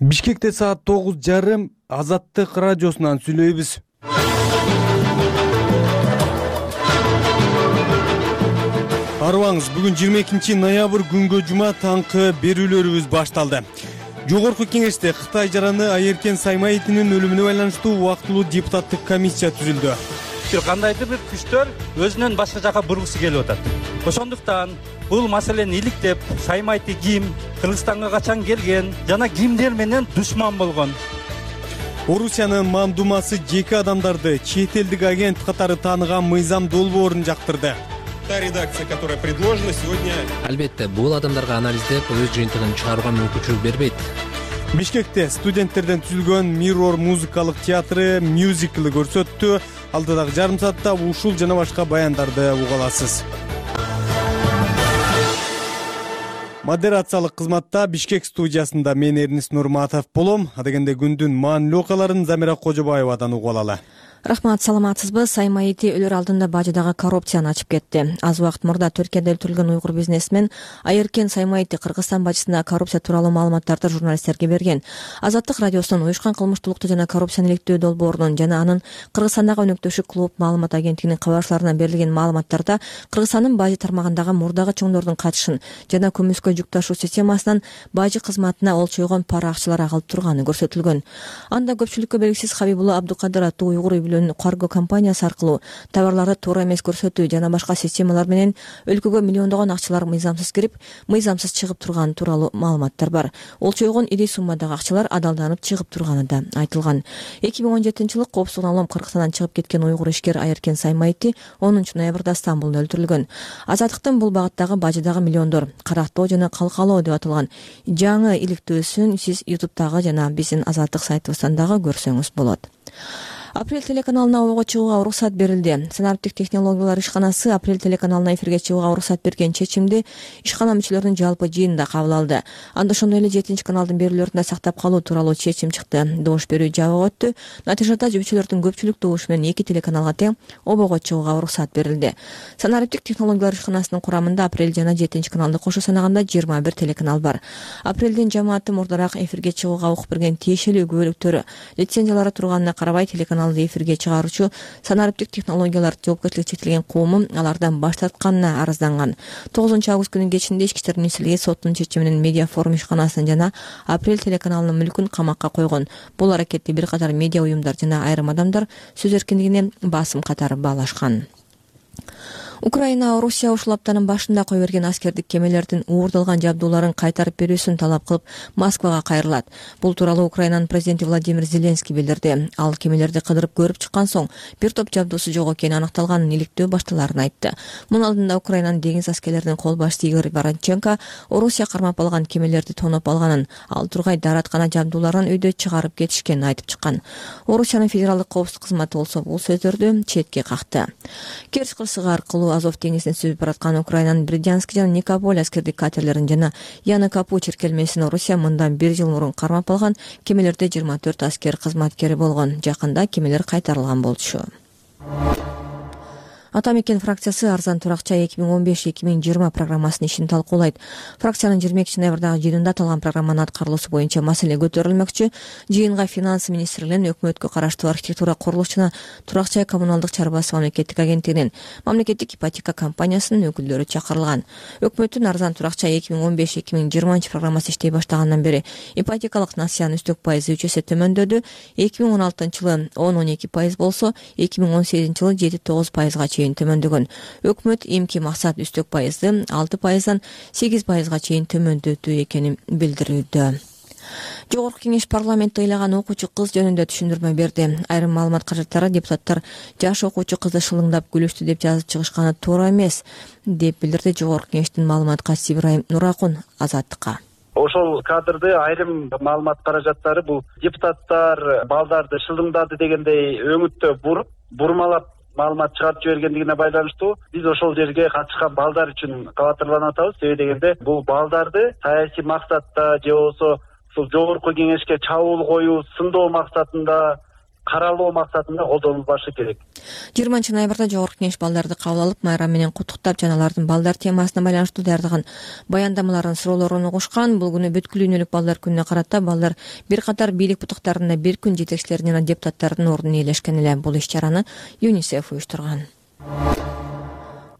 Бишкекте саат 9:30 Азаттык радиосунан сүйлөйбүз. Арыбаңыз, бүгүн 22 ноябрь күнгө жума таңкы берүүлөрүбүз башталды. Жогорку кеңеште Кытай жараны Айеркен Саймаевдин өлүмүнө байланыштуу убактылуу депутаттык комиссия түзүлдү. Кандайдыр бир күчтөр өзүнөн башка жака бургусу келип атат. Ошондуктан бул маселени иликтеп, Саймаевди ким, Кыргызстанга качан келген жана кимдер менен душман болгон. Орусиянын мамдумасы жеке адамдарды чет элдик агент катары тааныган Мыйзам долбоорун жактырды. Та редакция, которая предложена сегодня. Албетте, бул адамдарга анализдеп өз жыйынтыгын чыгарууга мүмкүнчүлүк бербейт. Бишкекте студенттерден түзүлгөн Mirror музыкалык театры мюзикли көрсөттү. Алдыдагы жарым саатта ушул жана башка баяндарды уга аласыз. Модерациялык кызматта Бишкек студиясында мен Эрнис Нурматов болом. Адегенде күндүн маанилүү окуяларын Замира Кожобаевадан угуп алалы. Рахмат, саламатсызбы? Саймаевди өлөр алдында бажыдагы коррупцияны ачып кетти. Аз убакыт мурда Түркияда өлтүрүлгөн уйгур бизнесмен Айеркен Саймаевди Кыргызстан бажысында коррупция тууралуу маалыматтарды журналисттерге берген. Азаттык радиосунун уюшкан кылмыштуулукту жана коррупцияны иликтөө долбоорунун жана анын Кыргызстандагы өнөктөшү клуб маалымат агенттигинин кабарчыларына берилген маалыматтарда Кыргызстандын бажы тармагындагы мурдагы чоңдордун катышын жана көмүскө жүк ташуу системасынан бажы кызматына олчойгон пара акчалар агалып турганы көрсөтүлгөн. Анда көпчүлүккө белгисиз Хабибулла Абдукадыр аттуу уйгур карго компаниясы аркылуу товарларды туура эмес көрсөтүү жана башка системалар менен өлкөгө миллиондогон акчалар мыйзамсыз кирип, мыйзамсыз чыгып турганы тууралуу маалыматтар бар. Олчойгон ири суммадагы акчалар адалданып чыгып турганы да айтылган. 2017-жылы коопсуздугун алып Кыргызстандан чыгып кеткен уйгур ишкер Айеркен Саймаевди 10 ноябрда Стамбулда өлтүрүлгөн. Азаттыктын бул багыттагы бажыдагы миллиондор карактоо жана калкалоо деп аталган жаңы иликтөөсүн сиз YouTube'дагы жана биздин Азаттык сайтыбыздан дагы көрсөңүз болот. Апрель телеканалына ого чыгууга уруксат берилди. Санариптик технологиялар ишканасы Апрель телеканалына эфирге чыгууга уруксат берген чечимди ишкана мүчөлөрүнүн жалпы жыйынында кабыл алды. Анда ошондой эле 7-каналдын берүүлөрүндө сактап калуу тууралуу чечим чыкты. Добуш берүү жабык өттү. Натыйжада мүчөлөрдүн көпчүлүк добушу менен 2 телеканалга тең обого чыгууга уруксат берилди. Санариптик технологиялар ишканасынын курамында Апрель жана 7-каналды кошо санаганда 21 телеканал бар. Апрелдин жамааты мурдараак эфирге чыгууга укук берген тиешелүү күбөлүктөрү лицензиялары турганына карабай телеканал эфирге чыгаруучу санариптик технологиялар жоопкерчилиги чектелген коому алардан баш тартканына арызданган. 9-август күнүнүн кечинде Ички иштер министрлиги соттун чечими менен Медиа форум ишканасын жана Апрель телеканалынын мүлкүн камакка койгон. Бул аракетти бир катар медиа уюмдар жана айрым адамдар сөз эркиндигине басым катары баалашкан. Украина Орусия ушул аптанын башында кое берген аскердик кемелердин уурдалган жабдууларын кайтарып берүүсүн талап кылып Москвага кайрылат. Бул тууралуу Украинанын президенти Владимир Зеленский билдирди. Ал кемелерди кыдырып көрүп чыккан соң бир топ жабдуусу жок экени аныкталганын иликтөө башталарын айтты. Мунун алдында Украинанын деңиз аскерлеринин кол башчысы Игорь Воронченко Орусия кармап алган кемелерди тоноп алганын, ал тургай даараткана жабдууларын өйдө чыгарып кетишкенин айтып чыккан. Орусиянын федералдык коопсуздук кызматы болсо бул сөздөрдү четке какты. Керчь кырсыгы аркылуу Азов деңизине сүзүп бараткан Украинанын Бердянск жана Никополь аскердик катерлерин жана Яны Капу черкелмесин Орусия мындан 1 жыл мурун кармап алган. Кемелерде 24 аскер кызматкери болгон. Жакында кемелер кайтарылган болчу. Ата мекен фракциясы арзан туракча 2015-2020 программасынын ишин талкуулайт. Фракциянын 22 ноябрдагы жыйынында аталган программанын аткарылуусу боюнча маселе көтөрүлмөкчү. Жыйынга финанс министрлигинин, өкмөткө караштуу архитектура, курулуш жана турак-жай коммуналдык чарбасы мамлекеттик агенттигинин, мамлекеттик ипотека компаниясынын өкүлдөрү чакырылган. Өкмөттүн арзан туракча 2015-2020 программасы иштей баштагандан бери ипотекалык насыянын үстөк пайызы 3 эсе төмөндөдү. 2016-жылы 10-12% болсо, 2018-жылы 7-9%га төмөндөгөн. Өкмөт эмки максат үстөк пайызды 6%дан 8%га чейин төмөндөтүү экенин билдирүүдө. Жогорку кеңеш парламентте ыйлаган окуучу кыз жөнүндө түшүндүрмө берди. Айрым маалымат каражаттары депутаттар жаш окуучу кызды шылыңдап күлүштү деп жазып чыгышканы туура эмес деп билдирди Жогорку кеңештин маалымат катчысы Ибрайым Нуракун Азаттыкка. Ошол кадрды айрым маалымат каражаттары бул депутаттар балдарды шылыңдады дегендей өңүттө бурмалап маалымат чыгарып жибергендигине байланыштуу биз ошол жерге катышкан балдар үчүн кабатырланып атабыз. Себеби дегенде бул балдарды саясий максатта же болбосо ушул жогорку кеңешке чабуул коюу, сындоо максатында каралоо максатында колдонулбашы керек. 20 ноябрда Жогорку Кеңеш балдарды кабыл алып, майрам менен куттуктап жана алардын балдар темасына байланыштуу даярдаган баяндамаларын, суроолорун угушкан. Бул күнү бүткүл дүйнөлүк балдар күнүнө карата балдар бир катар бийлик бутуктарында бир күн жетекчилеринин жана депутаттардын ордун ээлешкен эле. Бул иш-чараны ЮНИСЕФ уюштурган.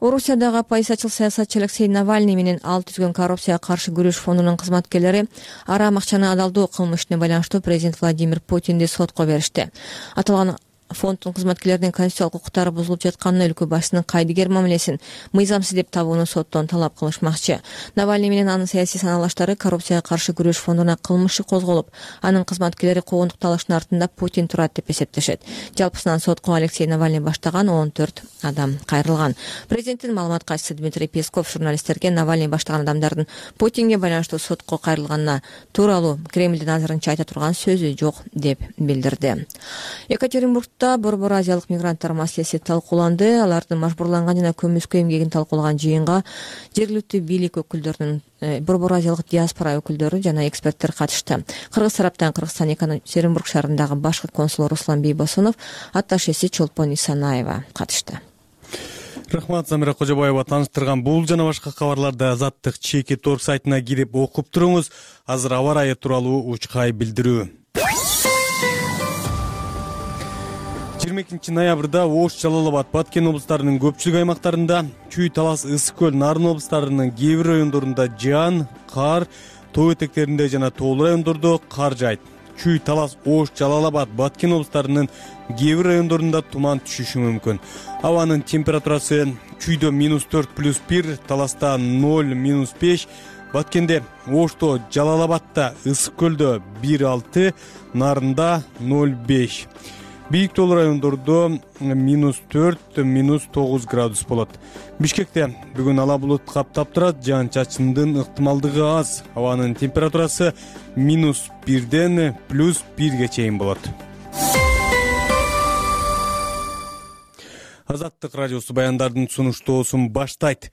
Орусиядагы оппозициячыл саясатчы Алексей Навальный менен ал түзгөн коррупцияга каршы күрөш фондунун кызматкерлери арам акчаны адалдоо кылмышына байланыштуу президент Владимир Путинди сотко беришти. Аталган фонддун кызматкерлеринин конституциялык укуктары бузулуп жатканын, өлкө башчысынын кайдыгер мамилесин мыйзамсыз деп табууну соттон талап кылышмакчы. Навальный менен анын саясий санаалаштары коррупцияга каршы күрөш фондуна кылмыш иши козголуп, анын кызматкерлери куугунтук талаштын артында Путин турат деп эсептешет. Жалпысынан сотко Алексей Навальный баштаган 14 адам кайрылган. Президенттин маалымат катчысы Дмитрий Песков журналисттерге Навальный баштаган адамдардын Путинге байланыштуу сотко кайрылганына тууралуу Кремлдин азырынча айта турган сөзү жок деп билдирди. Екатеринбургда Борбор азиялык мигранттар маселеси талкууланды. Алардын мажбурланган жана көмүскө эмгегин талкуулаган жыйынга жергиликтүү бийлик өкүлдөрүнүн, Борбор азиялык диаспора өкүлдөрү жана эксперттер катышты. Кыргыз тараптан Кыргызстан Екатеринбург шаарындагы башкы консул Руслан Бийбосунов, атташеси Чолпон Исанаева катышты. Рахмат, Замира Кожобаева тааныштырган бул жана башка кабарларды Азаттык ЧК.org сайтына кирип окуп туруңуз. Азыр аба ырайы тууралуу учкай билдирүү. 22 ноябрда Ош, Жалал Абад, Баткен облустарынын көпчүлүк аймактарында, Чүй, Талас, Ысык көл, Нарын облустарынын кээ бир райондорунда жаан, кар, тоо этектеринде жана тоолуу райондордо кар жаайт. Чүй, Талас, Ош, Жалал Абад, Баткен облустарынын кээ бир райондорунда туман түшүшү мүмкүн. Абанын температурасы Чүйдө -4+1, Таласта 0-5, Баткенде, Ошто, Жалал Абадта, Ысык көлдө 1-6, Нарында 0-5. Бийик тоолуу райондордо -4, -9 градус болот. Бишкекте бүгүн ала булут каптап турат, жаан-чачындын ыктымалдыгы аз. Абанын температурасы -1ден +1ге чейин болот. Азаттык радиосу баяндардын сунуштоосун баштайт.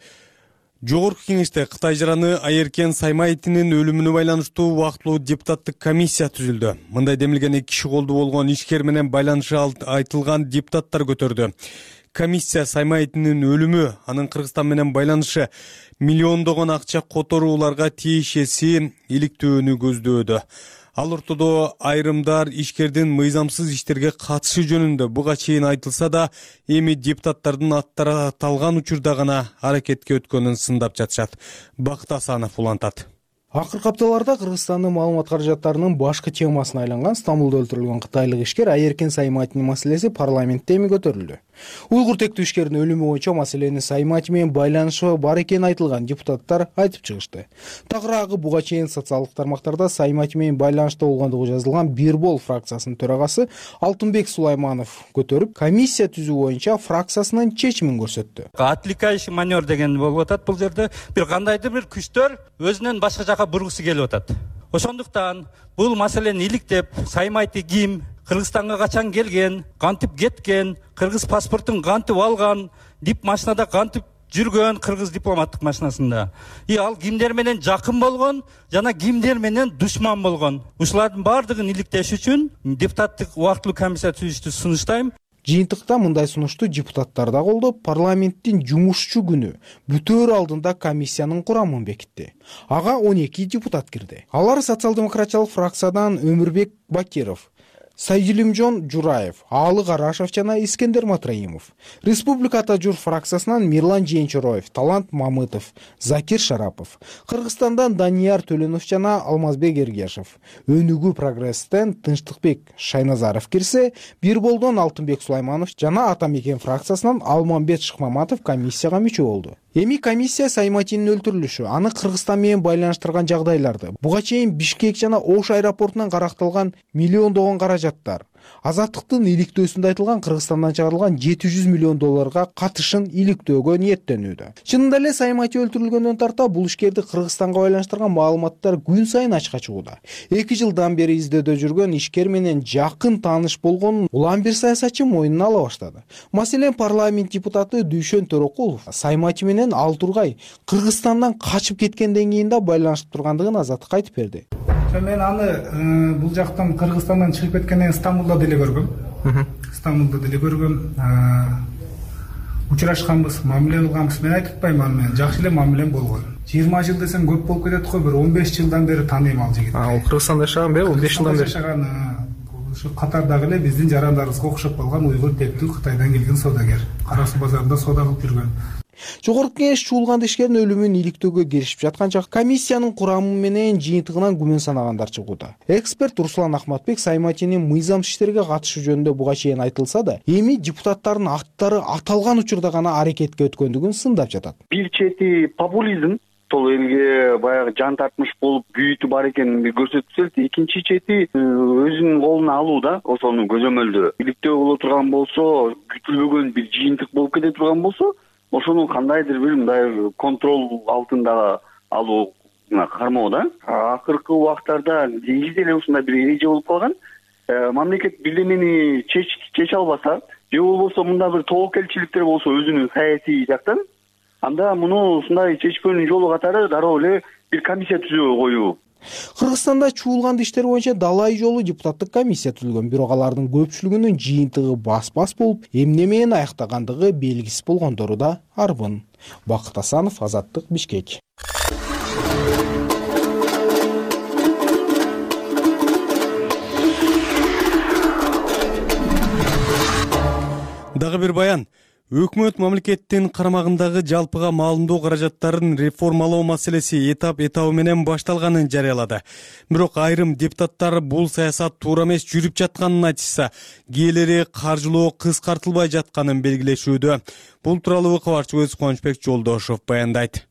Жогорку Кеңеште Кытай жараны Айеркен Саймаевдин өлүмүнө байланыштуу убактылуу депутаттык комиссия түзүлдү. Мындай демилген 2 киши колду болгон ишкер менен байланышы айтылган депутаттар көтөрдү. Комиссия Саймаевдин өлүмү, анын Кыргызстан менен байланышы, миллиондогон акча которууларга тиешеси иликтөөнү көздөдү. Ал ортодо айрымдар ишкердин мыйзамсыз иштерге катышы жөнүндө буга чейин айтылса да, эми депутаттардын аттары аталган учурда гана аракетке өткөнүн сындап жатышат. Бакыт Асанов улантат. Акыркы апталарда Кыргызстандын маалымат каражаттарынын башкы темасына айланган Стамбулда өлтүрүлгөн кытайлык ишкер Айеркен Саймаевдин маселеси парламентте эми көтөрүлдү. Уйгур тектүү ишкердин өлүмү боюнча маселенин Саймаев менен байланышы бар экени айтылган депутаттар айтып чыгышты. Тагыраагы буга чейин социалдык тармактарда Саймаев менен байланышта болгондугу жазылган Бирбол фракциясынын төрагасы Алтынбек Сулайманов көтөрүп, комиссия түзүү боюнча фракциясынын чечимин көрсөттү. Отвлекающий маневр деген болуп атат бул жерде. Бир кандайдыр бир күчтөр өзүнөн башка жака бургусу келип атат. Ошондуктан бул маселени иликтеп, Саймаевди ким, Кыргызстанга качан келген, кантип кеткен, кыргыз паспортун кантип алган, дип машинада кантип жүргөн, кыргыз дипломаттык машинасында. Ал кимдер менен жакын болгон жана кимдер менен душман болгон. Ушулардын баардыгын иликтеш үчүн депутаттык убактылуу комиссия түзүштү сунуштайм. Жыйынтыкта мындай сунушту депутаттар да колдоп, парламенттин жумушчу күнү бүтөөр алдында комиссиянын курамын бекитти. Ага 12 депутат кирди. Алар социал-демократиялык фракциядан Өмүрбек Бакиров, Сайдилимжон Жураев, Аалы Карашев жана Искендер Матраимов. Республика Ата Жур фракциясынан Мирлан Жээнчороев, Талант Мамытов, Закир Шарапов. Кыргызстандан Данияр Төленов жана Алмазбек Эргешев. Өнүгүү прогресстен Тынчтыкбек Шайназаров кирсе, Бирболдон Алтынбек Сулайманов жана Ата Мекен фракциясынан Алмамбет Шыкмаматов комиссияга мүчө болду. Эми комиссия Саймаевдин өлтүрүлүшү, аны Кыргызстан менен байланыштырган жагдайларды, буга чейин Бишкек жана Ош аэропортунан каракталган миллиондогон каражаттар, Азаттыктын иликтөөсүндө айтылган Кыргызстандан чыгарылган $700 миллион катышын иликтөөгө ниеттенүүдө. Чынында эле Саймаев өлтүрүлгөндөн тарта бул ишкерди Кыргызстанга байланыштырган маалыматтар күн сайын ачыкка чыгууда. 2 жылдан бери издөөдө жүргөн ишкер менен жакын тааныш болгонун улам бир саясатчы мойнуна ала баштады. Маселен, парламент депутаты Дүйшөн Төрөкулов Саймаев менен ал тургай Кыргызстандан качып кеткенден кийин да байланышып тургандыгын Азаттыкка айтып берди. Мен аны бул жактан Кыргызстандан чыгып кеткенден Стамбулда деле көргөм. Стамбулда деле көргөм, учурашканбыз, мамиле кылганбыз. Мен айтып атпайм аны, мен жакшы эле мамилем болгон. 20 жыл десем көп болуп кетет го, бир 15 жылдан бери тааныйм ал жигитти. Ал Кыргызстанда жашаган бе? 15 жылдан бери жашаган. Ушу Катардагы эле биздин жарандарыбызга окшоп калган уйгур тектүү Кытайдан келген саудагер. Кара Суу базарында соода кылып жүргөн. Жогорку Кеңеш чуулган ишкердин өлүмүн иликтөөгө киришип жатканча комиссиянын курамы менен жыйынтыгынан күмөн санагандар чыгууда. Эксперт Руслан Ахматбек Саймайтинин мыйзамсыз иштерге катышы жөнүндө буга чейин айтылса да, эми депутаттардын аттары аталган учурда гана аракетке өткөндүгүн сындап жатат. Бир чети популизм, сол элге баягы жан тартмыш болуп күйүтү бар экенин көрсөтүп, экинчи чети өзүнүн колуна алуу да, ошону көзөмөлдөө. Иликтөө боло турган болсо, күтүлбөгөн бир жыйынтык болуп кете турган болсо, ошону кандайдыр бир мындай контрол алтында алууна кармоо да. Акыркы убактарда негизи эле ушундай бир эреже болуп калган. Мамлекет бирдемени чече албаса, же болбосо мында бир тобокелчиликтер болсо өзүнүн саясий жактан, анда муну ушундай чечпөөнүн жолу катары дароо эле бир комиссия түзүү коюу. Кыргызстанда чуулган иштер боюнча далай жолу депутаттык комиссия түзүлгөн, бирок алардын көпчүлүгүнүн жыйынтыгы бас-бас болуп, эмне менен аяктагандыгы белгисиз болгондору да арбын. Бакыт Асанов, Азаттык, Бишкек. Дагы бир баян. Өкмөт мамлекеттин карамагындагы жалпыга маалымдоо каражаттарын реформалоо маселеси этап менен башталганын жарыялады. Бирок айрым депутаттар бул саясат туура эмес жүрүп жатканын айтышса, кээleri каржылоо кыскартылбай жатканын белгилешүүдө. Бул тууралуу кабарчыбыз Кубанычбек Жолдошов баяндайт.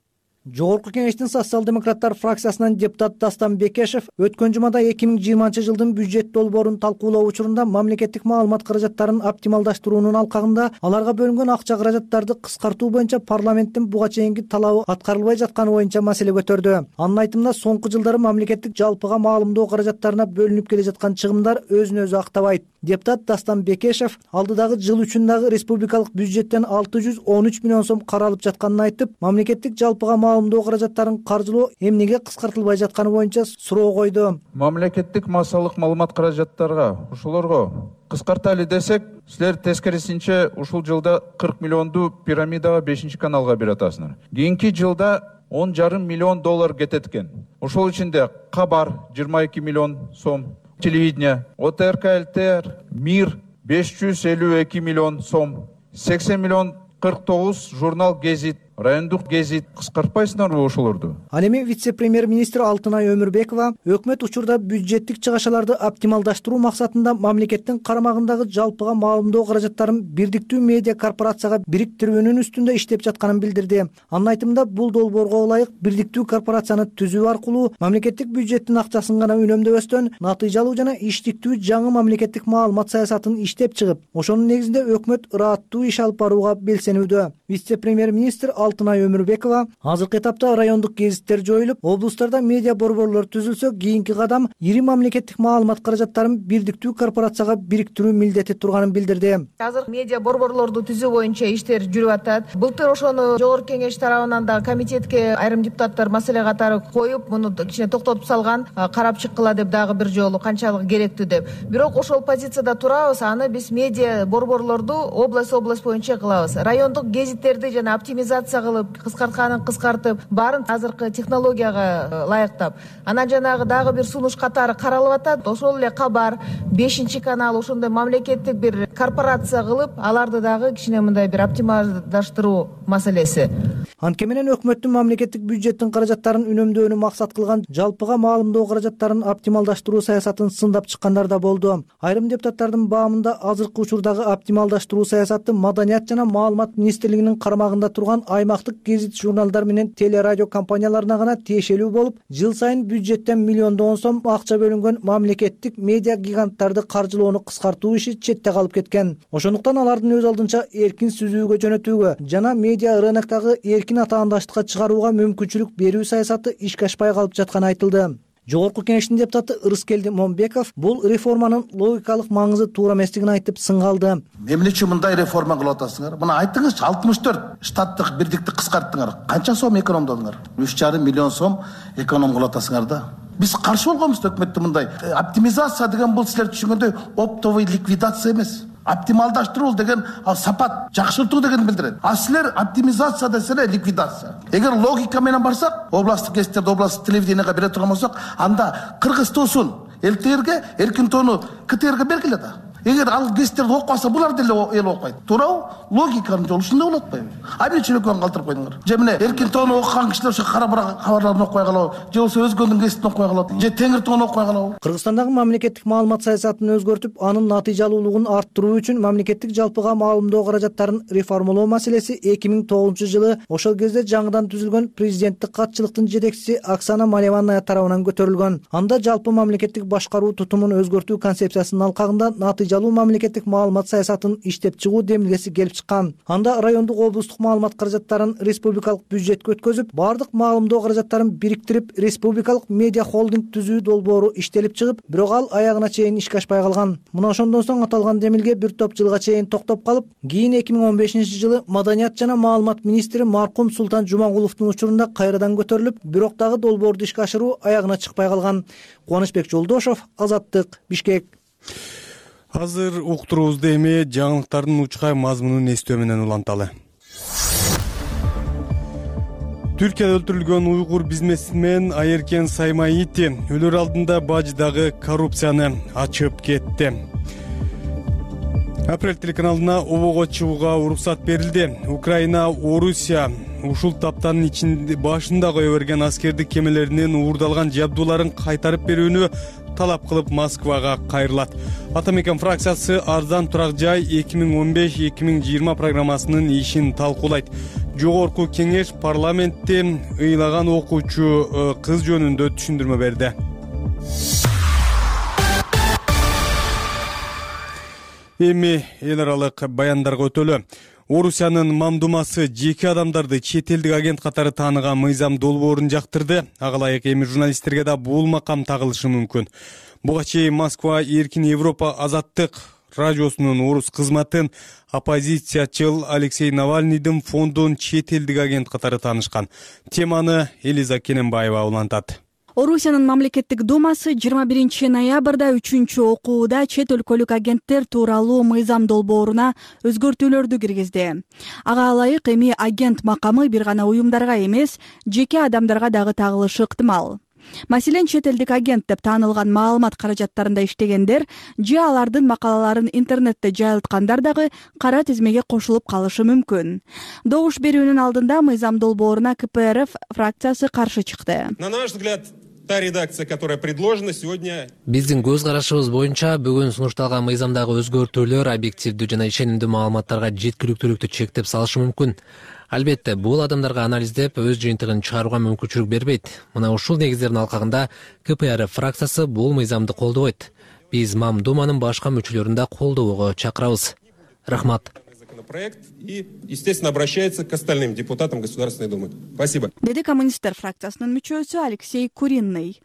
Жогорку Кеңештин социал-демократтар фракциясынан депутат Дастан Бекешев өткөн жумада 2020 жылдын бюджет долбоорун талкуулоо учурунда мамлекеттик маалымат каражаттарын оптималдаштыруунун алкагында аларга бөлүнгөн акча каражаттарды кыскартуу боюнча парламенттин буга чейинки талабы аткарылбай жатканы боюнча маселе көтөрдү. Анын айтымында соңку жылдары мамлекеттик жалпыга маалымдоо каражаттарына бөлүнүп келе жаткан чыгымдар өзүн өзү актабайт. Депутат Дастан Бекешев алдыдагы жыл үчүн дагы республикалык бюджеттен 613 миллион сом каралып жатканын айтып, мамлекеттик жалпыга маалымдоо каражаттарын каржылоо эмнеге кыскартылбай жатканы боюнча суроо койду. Мамлекеттик массалык маалымат каражаттарга ушулорго кыскарталы десек, силер тескерисинче ушул жылда 40 миллионду пирамидага 5 каналга берип атасыңар. Кийинки жылда 10,5 миллион доллар кетет экен. Ошол ичинде Кабар 22 миллион сом, телевидение, ОТРК ЛТР, Мир 552 миллион сом, 80 миллион 49 журнал Гезит, райондук гезит кыскартпайсыңарбы ошолорду? Ал эми вице-премьер-министр Алтынай Өмүрбекова өкмөт учурда бюджеттик чыгашаларды оптималдаштыруу максатында мамлекеттин карамагындагы жалпыга маалымдоо каражаттарын бирдиктүү медиа корпорацияга бириктирүүнүн үстүндө иштеп жатканын билдирди. Анын айтымында бул долбоорго ылайык бирдиктүү корпорацияны түзүү аркылуу мамлекеттик бюджеттин акчасын гана үнөмдөбөстөн натыйжалуу жана иштиктүү жаңы мамлекеттик маалымат саясатын иштеп чыгып, ошонун негизинде өкмөт ырааттуу иш алып барууга белсенүүдө. Вице-премьер-министр Алтынай Өмүрбекова азыркы этапта райондук гезиттер жоюлуп, облустарда медиа борборлор түзүлсө, кийинки кадам ири мамлекеттик маалымат каражаттарын бирдиктүү корпорацияга бириктирүү милдети турганын билдирди. Азыр медиа борборлорду түзүү боюнча иштер жүрүп атат. Былтыр ошону Жогорку Кеңеш тарабынан да комитетке айрым депутаттар маселе катары коюп, муну кичине токтотуп салган, карап чыккыла деп дагы бир жолу канчалык керектүү деп. Бирок ошол позицияда турабыз, аны биз медиа борборлорду область боюнча кылабыз. Райондук гезиттерди жана оптимизация кылып, кыскартканын кыскартып, баарын азыркы технологияга ылайыктап. Анан жанагы дагы бир сунуш катары каралып атат. Ошол эле Кабар 5 канал ошондой мамлекеттик бир корпорация кылып, аларды дагы кичине мындай бир оптималдаштыруу маселеси. Анткени менен өкмөттүн мамлекеттик бюджеттин каражаттарын үнөмдөөнү максат кылган жалпыга маалымдоо каражаттарын оптималдаштыруу саясатын сындап чыккандар да болду. Айрым депутаттардын баамында азыркы учурдагы оптималдаштыруу саясаты Маданият жана маалымат министрлигинин карамагында турган аймактык гезит журналдар менен телерадио компанияларына гана тиешелүү болуп, жыл сайын бюджеттен миллиондон сом акча бөлүнгөн мамлекеттик медиа гиганттарды каржылоону кыскартуу иши четте калып кеткен. Ошондуктан алардын өз алдынча эркин сүзүүгө жөнөтүүгө жана медиа рыноктогу эркин атаандаштыкка чыгарууга мүмкүнчүлүк берүү саясаты ишке ашпай калып жатканы айтылды. Жогорку Кеңештин депутаты Ырыскелди Момбеков бул реформанын логикалык маңызы туура эместигин айтып сыңгалды. Эмне үчүн мындай реформа кылып атасыңар? Мына айтыңызчы, 64 штаттык бирдикти кыскарттыңар. Канча сом экономдодуңар? 3,5 миллион сом эконом кылып атасыңар да. Биз каршы болгонбуз өкмөттө мындай. Оптимизация деген бул силер түшүнгөндөй оптовый ликвидация эмес. Оптималдаштыруу деген сапат жакшыртуу дегенди билдирет. А силер оптимизация десеңер ликвидация. Эгер логика менен барсак, областтык гезиттерди областтык телевидениеге бере турган болсок, анда Кыргыз туусун ЛТРге, Эркин тоону КТРге бергиле да. Эгер ал гезиттерди окубаса, булар деле эл окуйт. Туурабы? Логиканын жолу ушундай болот атпайбы? Айбек Чөлөкөөнү калтырып койдуңар. Же мына Эркин тоону окуган кишилер ошо кара кабарларын окубай калабы, же болбосо өзгөнүн гезитин окубай калабы, же Теңир тоону окубай калабы. Кыргызстандагы мамлекеттик маалымат саясатын өзгөртүп, анын натыйжалуулугун арттыруу үчүн мамлекеттик жалпыга маалымдоо каражаттарын реформалоо маселеси 2009-жылы ошол кезде жаңыдан түзүлгөн президенттик катчылыктын жетекчиси Оксана Малеванная тарабынан көтөрүлгөн. Анда жалпы мамлекеттик башкаруу тутумун өзгөртүү концепциясынын алкагында натыйжалуу мамлекеттик маалымат саясатын иштеп чыгуу демилгеси келип чыккан. Анда райондук облустук маалымат каражаттарын республикалык бюджетке өткөзүп, бардык маалымдоо каражаттарын бириктирип, республикалык медиа холдинг түзүү долбоору иштелип чыгып, бирок ал аягына чейин ишке ашпай калган. Мына ошондон соң аталган демилге бир топ жылга чейин токтоп калып, кийин 2015-жылы Маданият жана маалымат министри маркум Султан Жумагуловдун учурунда кайрадан көтөрүлүп, бирок дагы долбоорду ишке ашыруу аягына чыкпай калган. Кубанычбек Жолдошов, Азаттык, Бишкек. Азыр уктуруубузду эми жаңылыктардын учкай мазмунун эстөө менен уланталы. Түркияда өлтүрүлгөн уйгур бизнесмен Айеркен Саймаити өлөр алдында баждагы коррупцияны ачып кетти. Апрель телеканалына обого чыгууга уруксат берилди. Украина, Орусия ушул таптанын ичинде башында кое берген аскердик кемелеринин уурдалган жабдууларын кайтарып берүүнү талап кылып Москвага кайрылат. Атамекен фракциясы арзан турак жай 2015-2020 программасынын ишин талкуулайт. Жогорку кеңеш парламентте ыйлаган окуучу кыз жөнүндө түшүндүрмө берди. Эми эл аралык баяндарга өтөлү. Орусиянын Мамдумасы жеке адамдарды чет элдик агент катары тааныган мыйзам долбоорун жактырды. Ага ылайык эми журналисттерге да бул макам тагылышы мүмкүн. Буга чейин Москва Эркин Европа Азаттык радиосунун орус кызматын оппозициячыл Алексей Навальныйдын фондун чет элдик агент катары таанышкан. Теманы Элиза Кененбаева улантат. Орусиянын мамлекеттик думасы 21 ноябрда 3-окууда чет өлкөлүк агенттер тууралуу мыйзам долбооруна өзгөртүүлөрдү киргизди. Ага ылайык эми агент макамы бир гана уюмдарга эмес, жеке адамдарга дагы тагылышы ыктымал. Маселен, чет элдик агент деп таанылган маалымат каражаттарында иштегендер же алардын макалаларын интернетте жайылткандар дагы кара тизмеге кошулуп калышы мүмкүн. Добуш берүүнүн алдында мыйзам долбооруна КПРФ фракциясы каршы чыкты. На наш взгляд, та редакция, которая предложена сегодня. Биздин көз карашыбыз боюнча бүгүн сунушталган мыйзамдагы өзгөртүүлөр объективдүү жана ишенимдүү маалыматтарга жеткиликтүүлүктү чектеп салышы мүмкүн. Албетте, бул адамдарга анализдеп, өз жыйынтыгын чыгарууга мүмкүнчүлүк бербейт. Мына ушул негиздердин алкагында КПРФ фракциясы бул мыйзамды колдобойт. Биз Мамдуманын башка мүчөлөрүн да колдоого чакырабыз. Рахмат. Проект и, естественно, обращается к остальным депутатам Государственной Думы. Спасибо. Деди коммунисттер фракциясынын мүчөсү Алексей Куринный.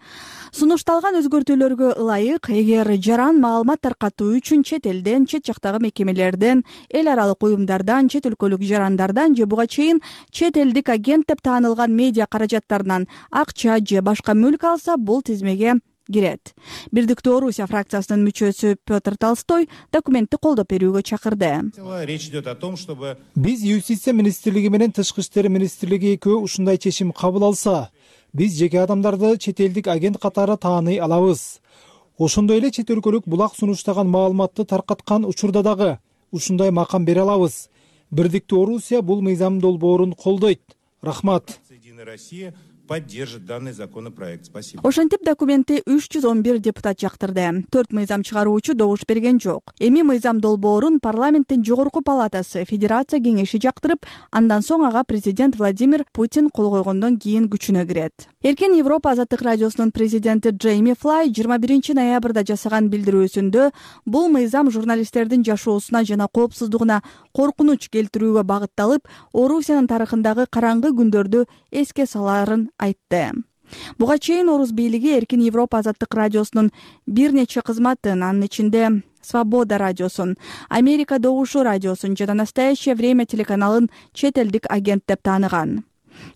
Сунушталган өзгөртүүлөргө ылайык, эгер жаран маалымат таркатуу үчүн чет элден, чет жактагы мекемелерден, эл аралык уюмдардан, чет өлкөлүк жарандардан же буга чейин чет элдик агент деп таанылган медиа каражаттарынан акча же башка мүлк алса, бул тизмеге кирет. Бирдиктүү Орусия фракциясынын мүчөсү Петр Толстой документти колдоп берүүгө чакырды. Речь идет о том, чтобы биз Юстиция министрлиги менен Тышкы иштер министрлиги экөө ушундай чечим кабыл алса, биз жеке адамдарды чет элдик агент катары тааный алабыз. Ошондой эле чет өлкөлүк булак сунуштаган маалыматты таркаткан учурда дагы ушундай макам бере алабыз. Бирдиктүү Орусия бул мыйзам долбоорун колдойт. Рахмат. Поддержит данный законопроект. Спасибо. Ошентип документти 311 депутат жактырды. 4 мыйзам чыгаруучу добуш берген жок. Эми мыйзам долбоорун парламенттин жогорку палатасы Федерация кеңеши жактырып, андан соң ага президент Владимир Путин кол койгондон кийин күчүнө кирет. Эркин Европа Азаттык радиосунун президенти Джейми Флай 21 ноябрда жасаган билдирүүсүндө бул мыйзам журналисттердин жашоосуна жана коопсуздугуна коркунуч келтирүүгө багытталып, Орусиянын тарыхындагы караңгы күндөрдү эске саларын айтты. Буга чейин орус бийлиги Эркин Европа Азаттык радиосунун бир нече кызматын, анын ичинде Свобода радиосун, Америка Добушу радиосун жана Настоящее время телеканалын чет элдик агент деп тааныган.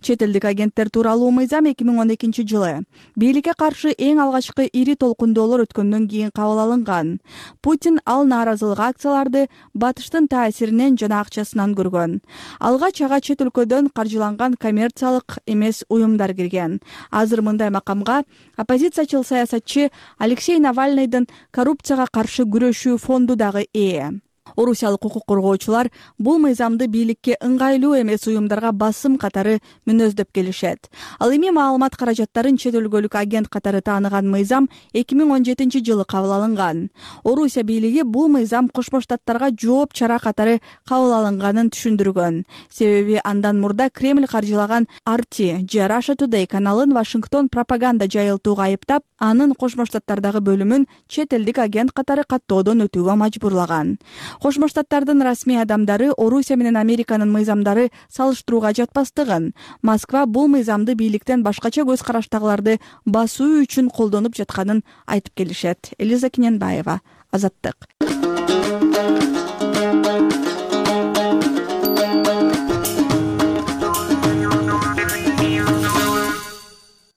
Чет элдик агенттер тууралуу мыйзам 2012-жылы бийликке каршы эң алгачкы ири толкундоолор өткөндөн кийин кабыл алынган. Путин ал нааразылык акцияларды батыштын таасиринен жана акчасынан көргөн. Алгач ага чет өлкөдөн каржыланган коммерциялык эмес уюмдар кирген. Азыр мындай макамга оппозициячыл саясатчы Алексей Навальныйдын коррупцияга каршы күрөшүү фонду дагы ээ. Орусиялык укук коргоочулар бул мыйзамды бийликке ыңгайлуу эмес уюмдарга басым катары мүнөздөп келишет. Ал эми маалымат каражаттарын чет өлкөлүк агент катары тааныган мыйзам 2017-жылы кабыл алынган. Орусия бийлиги бул мыйзам Кошмо Штаттарга жооп чара катары кабыл алынганын түшүндүргөн. Себеби андан мурда Кремль каржылаган RT же Russia Today каналын Вашингтон пропаганда жайылтууга айыптап, анын Кошмо Штаттардагы бөлүмүн чет элдик агент катары каттоодон өтүүгө мажбурлаган. Кошмо Штаттардын расмий адамдары Орусия менен Американын мыйзамдары салыштырууга жатпастыгын, Москва бул мыйзамды бийликтен башкача көз караштагыларды басуу үчүн колдонуп жатканын айтып келишет. Элиза Кененбаева, Азаттык.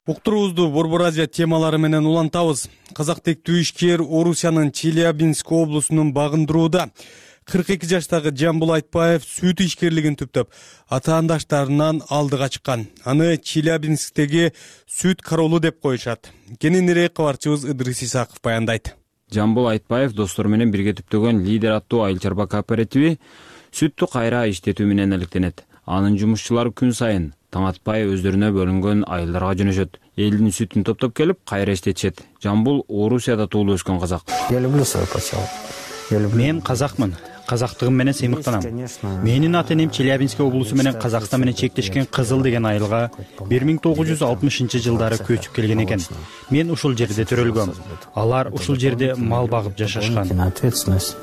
Уктуруубузду Борбор Азия темалары менен улантабыз. Казак тектүү ишкер Орусиянын Челябинск облусунун багындырууда 42 жаштагы Жамбул Айтбаев сүт ишкерлигин түптөп, атаандаштарынан алдыга чыккан. Аны Челябинсктеги сүт королу деп коюшат. Кененирээк кабарчыбыз Ыдрис Исаков баяндайт. Жамбул Айтбаев достору менен бирге түптөгөн Лидер аттуу айыл чарба кооперативи сүттү кайра иштетүү менен алектенет. Анын жумушчулары күн сайын таң атпай өздөрүнө бөлүнгөн айылдарга жөнөшөт. Элдин сүтүн топтоп келип кайра иштетишет. Жамбул Орусияда туулуп өскөн казак. Я люблю свой поселок. Мен казакмын. Казактыгым менен сыймыктанам. Менин ата-энем Челябинск облусу менен Казакстан менен чектешкен Кызыл деген айылга 1960-жылдары көчүп келген экен. Мен ушул жерде төрөлгөм. Алар ушул жерде мал багып жашашкан.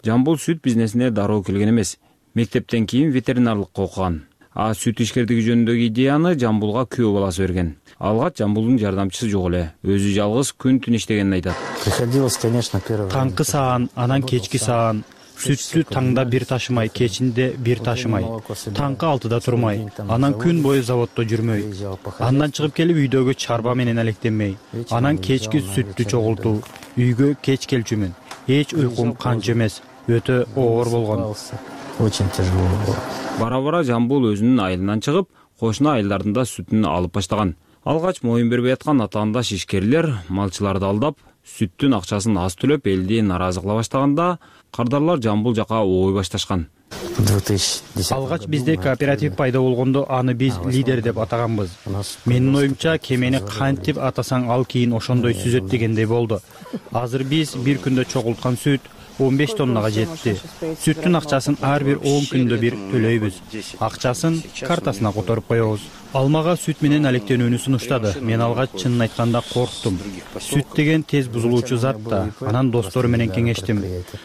Жамбул сүт бизнесине дароо келген эмес. Мектептен кийин ветеринарлыкка окуган. А сүт ишкердиги жөнүндөгү идеяны Жамбулга күйөө баласы берген. Алгач Жамбулдун жардамчысы жок эле. Өзү жалгыз күн-түн иштегенин айтат. Таңкы саан, анан кечки саан. Сүттү таңда бир ташымай, кечинде бир ташымай. Таңкы 6-да турмай, анан күн бою заводдо жүрмөй. Андан чыгып келип үйдөгү чарба менен алектенмей. Анан кечки сүттү чогултуу. Үйгө кеч келчүмүн. Эч уйкум канча эмес. Өтө оор болгон. Очень тяжело было. Бара-бара Жамбул өзүнүн айылынан чыгып, кошуна айылдардын да сүтүн алып баштаган. Алгач моюн бербей аткан атаандаш ишкерлер малчыларды алдап, сүттүн акчасын аз төлөп элди наразы кыла баштаганда, кардарлар Жамбул жака ой башташкан. Алгач бизде кооператив пайда болгондо аны биз Лидер деп атаганбыз. Менин оюмча кемени кантип атасаң ал кийин ошондой сүзөт дегендей болду. Азыр биз бир күндө чогулткан сүт 15 тоннага жетти. Сүттүн акчасын ар бир 10 күндө бир төлөйбүз. Акчасын картасына которуп коебуз. Алмага сүт менен алектенүүнү сунуштады. Мен алгач чынын айтканда корктум. Сүт деген тез бузулуучу зат да. Анан достору менен кеңештим.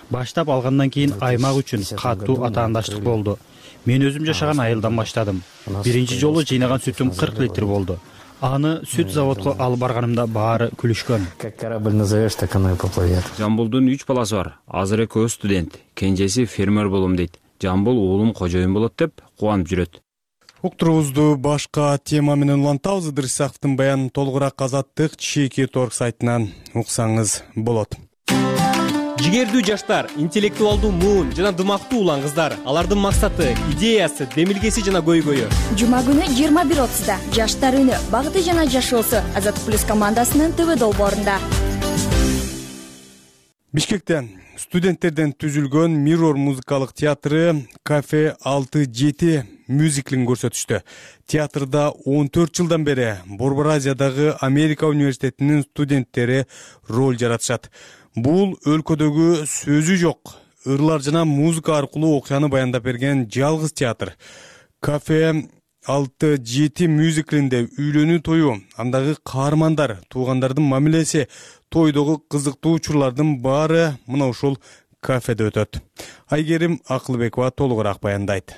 Баштап алгандан кийин аймак үчүн катуу атаандаштык болду. Мен өзүм жашаган айылдан баштадым. Биринчи жолу жыйнаган сүтүм 40 литр болду. Аны сүт заводко алып барганымда баары күлүшкөн. Как корабль назовешь, так оно и поплывет. Жамбулдун 3 баласы бар. Азыр экөө студент, кенжеси фермер болом дейт. Жамбул уулум кожоюн болот деп кубанып жүрөт. Уктуруубузду башка тема менен улантабыз. Ыдрис Исаковдун баянын толугураак Азаттык Чеки.org сайтынан уксаңыз болот. Жигердүү жаштар, интеллектуалдуу муун жана дымактуу улан кыздар. Алардын максаты, идеясы, демилгеси жана көйгөйү. Жума күнү 21:30-да Жаштар үнү, багыты жана жашоосу Азаттык плюс командасынын ТВ долбоорунда. Бишкекте студенттерден түзүлгөн Mirror музыкалык театры Кафе 6-7 мюзиклин көрсөтүштү. Театрда 14 жылдан бери Борбор Азиядагы Америка университетинин студенттери роль жаратышат. Бул өлкөдөгү сөзү жок, ырлар жана музыка аркылуу окуяны баяндап берген жалгыз театр. Кафе 6-7 мюзиклинде үйлөнүү тою, андагы каармандар, туугандардын мамилеси, тойдогу кызыктуу учурлардын баары мына ушул кафеде өтөт. Айгерим Акылбекова толугураак баяндайт.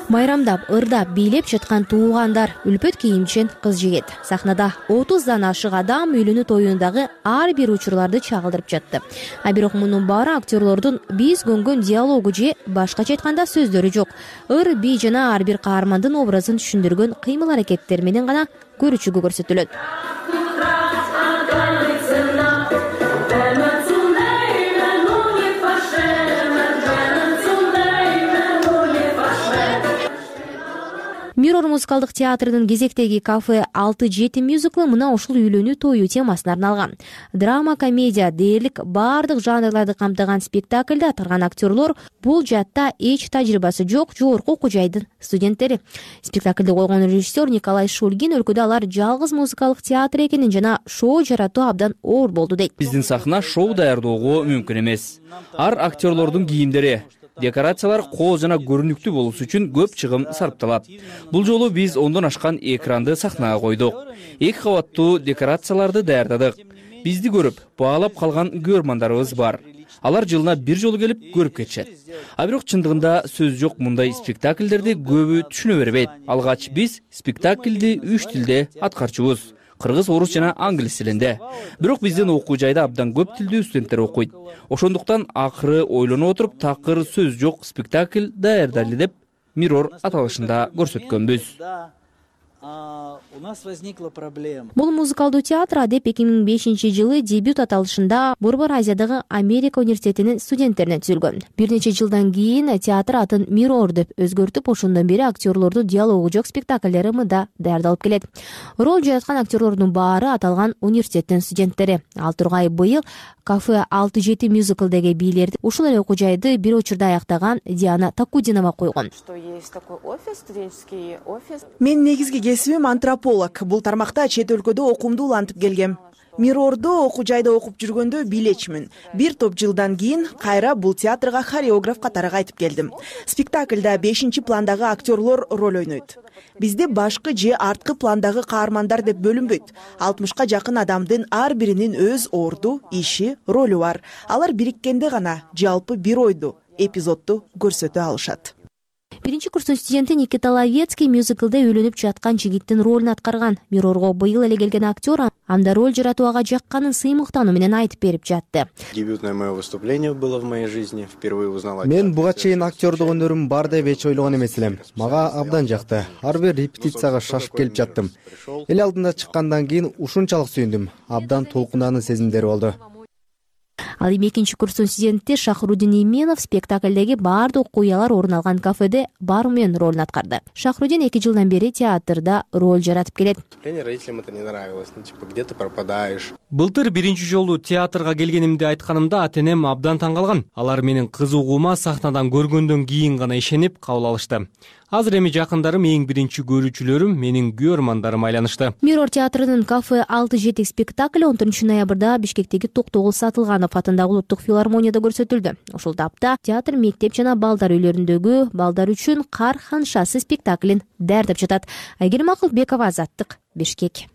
Майрамдап, ырдап, бийлеп жаткан туугандар, үлпөт кийимчен кыз-жигит. Сахнада 30дан ашык адам үйлөнүү тоюндагы ар бир учурларды чагылдырып жатты. А бирок мунун баары актерлордун биз көнгөн диалогу же башкача айтканда сөздөрү жок. Ыр, би жана ар бир каармандын образын түшүндүргөн кыймыл-аракеттер менен гана көрүүчүгө көрсөтүлөт. Мирор музыкалдык театрынын кезектеги кафе 6-7 мюзиклы мына ушул үйлөнүү тою темасына арналган. Драма, комедия дээрлик бардык жанрларды камтыган спектакльде аткарган актерлор бул жаатта эч тажрыйбасы жок жогорку окуу жайдын студенттери. Спектакльди койгон режиссер Николай Шульгин өлкөдө алар жалгыз музыкалык театр экенин жана шоу жаратуу абдан оор болду дейт. Биздин сахна шоу даярдоого мүмкүн эмес. Ар актерлордун кийимдери, декорациялар кооз жана көрүнүктүү болуш үчүн көп чыгым сарпталат. Бул жолу биз 10дон ашкан экранды сахнага койдук. 2 кабаттуу декорацияларды даярдадык. Бизди көрүп, баалап калган көрөрмандарыбыз бар. Алар жылына бир жолу келип көрүп кетишет. А бирок чындыгында сөз жок, мындай спектакльдерди көбү түшүнө бербейт. Алгач биз спектакльди 3 тилде аткарчубуз. Кыргыз, орус жана англис тилинде. Бирок биздин окуу жайда абдан көп тилдүү студенттер окуйт. Ошондуктан акыры ойлоно отуруп такыр сөз жок спектакль даярдайлы деп Мирор аталышында көрсөткөнбүз. У нас возникла проблема. Бул музыкалдуу театр деп 2005-жылы дебют аталышында Борбор Азиядагы Америка университетинин студенттерине түзүлгөн. Бир нече жылдан кийин театр атын Мирор деп өзгөртүп, ошондон бери актерлордун диалогу жок спектакльдери мында даярдалып келет. Роль жараткан актерлордун баары аталган университеттин студенттери. Ал Тургай быйыл кафе 6-7 мюзиклдеги бийлерди ушул эле окуу жайды бир учурда аяктаган Диана Такудинова койгон. Мен негизги кесибим антрополог. Бул тармакта чет өлкөдө окуумду улантып келгем. Мирордо окуу жайда окуп жүргөндө билечмин. Бир топ жылдан кийин кайра бул театрга хореограф катары кайтып келдим. Спектакльда 5-чи пландагы актерлор роль ойнойт. Бизде башкы же арткы пландагы каармандар деп бөлүнбөйт. 60ка жакын адамдын ар биринин өз орду, иши, ролу бар. Алар бириккенде гана жалпы бир ойду, эпизодду көрсөтө алышат. Биринчи курстун студенти Никита Ловецкий мюзиклде үйлөнүп жаткан жигиттин ролун аткарган. Мирорго быйыл эле келген актер анда роль жаратууга жакканын сыймыктануу менен айтып берип жатты. Дебютное мое выступление было в моей жизни. Впервые узнала. Мен буга чейин актердук өнөрүм бар деп эч ойлогон эмес элем. Мага абдан жакты. Ар бир репетицияга шашып келип жаттым. Эл алдында чыккандан кийин ушунчалык сүйүндүм. Абдан толкунданын сезимдери болду. Ал эми 2-курстун студенти Шахрудин Именов спектакльдеги баардык окуялар орун алган кафеде бармен ролун аткарды. Шахрудин 2 жылдан бери театрда роль жаратып келет. Родителям это не нравилось. Где ты пропадаешь? Былтыр биринчи жолу театрга келгенимди айтканымда ата-энем абдан таң калган. Алар менин кызыгуума сахнадан көргөндөн кийин гана ишенип кабыл алышты. Азыр эми жакындарым, эң биринчи көрүүчүлөрүм, менин күйөрмандарым айланышты. Мирор театрынын кафе 6-7 спектакли 14 ноябрда Бишкектеги Токтогул Сатылганов атындагы улуттук филармонияда көрсөтүлдү. Ошол тапта театр мектеп жана балдар үйлөрүндөгү балдар үчүн Кар ханшасы спектаклин даярдап жатат. Айгерим Акылбекова, Азаттык, Бишкек.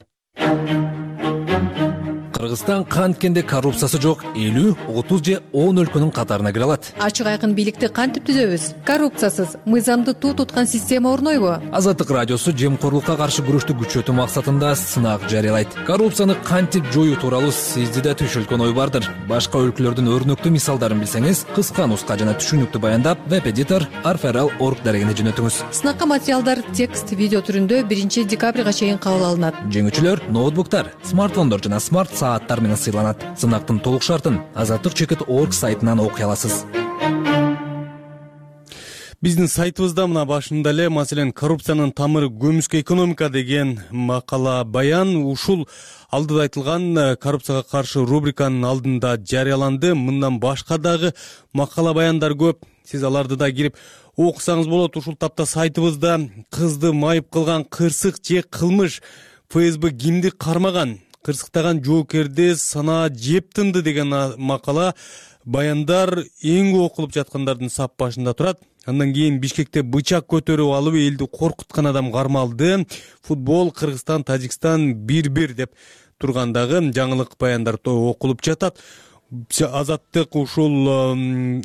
Кыргызстан канткенде коррупциясы жок 50, 30 же 10 өлкөнүн катарына кире алат. Ачык айкын бийликти кантип түзөбүз? Коррупциясыз, мыйзамды туу туткан система орнойбу? Азаттык радиосу жемкорлукка каршы күрөштү күчөтүү максатында сынак жарыялайт. Коррупцияны кантип жоюу тууралуу сизди да түшүлгөн ой бардыр. Башка өлкөлөрдүн өрнөктүү мисалдарын билсеңиз, кыска нуска жана түшүнүктүү баяндап веб-эдитор arferal.org дарегине жөнөтүңүз. Сынакка материалдар текст, видео түрүндө 1 декабрга чейин кабыл алынат. Жеңүүчүлөр ноутбуктар, смартфондор жана смарт сааттар менен сыйланат. Сынактын толук шартын azattyk.org сайтынан окуй аласыз. Биздин сайтыбызда мына башында эле, маселен, коррупциянын тамыры көмүскө экономика деген макала баян ушул алдыда айтылган коррупцияга каршы рубриканын алдында жарыяланды. Мындан башка дагы макала баяндар көп. Сиз аларды да кирип окусаңыз болот. Ушул тапта сайтыбызда кызды майып кылган кырсык же кылмыш, ФСБ кимди кармаган, кырсыктаган жоокерди санаа жеп тынды деген макала баяндар эң көп окулуп жаткандардын сап башында турат. Андан кийин Бишкекте бычак көтөрүп алып элди коркуткан адам кармалды. Футбол, Кыргызстан, Тажикстан 1-1 деп тургандагы жаңылык баяндар окулуп жатат. Азаттык ушул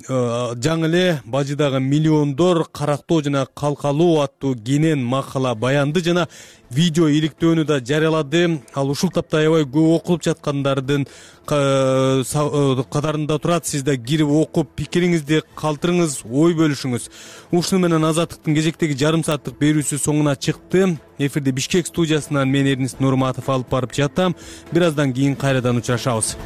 жаңы эле бажыдагы миллиондор карактоо жана калкалоо аттуу кенен макала баянды жана видео иликтөөнү да жарыялады. Ал ушул тапта аябай көп окулуп жаткандардын катарында турат. Сиз да кирип окуп пикириңизди калтырыңыз, ой бөлүшүңүз. Ушуну менен Азаттыктын кезектеги жарым сааттык берүүсү соңуна чыкты. Эфирде Бишкек студиясынан мен Эрнис Нурматов алып барып жатам. Бир аздан кийин кайрадан учурашабыз.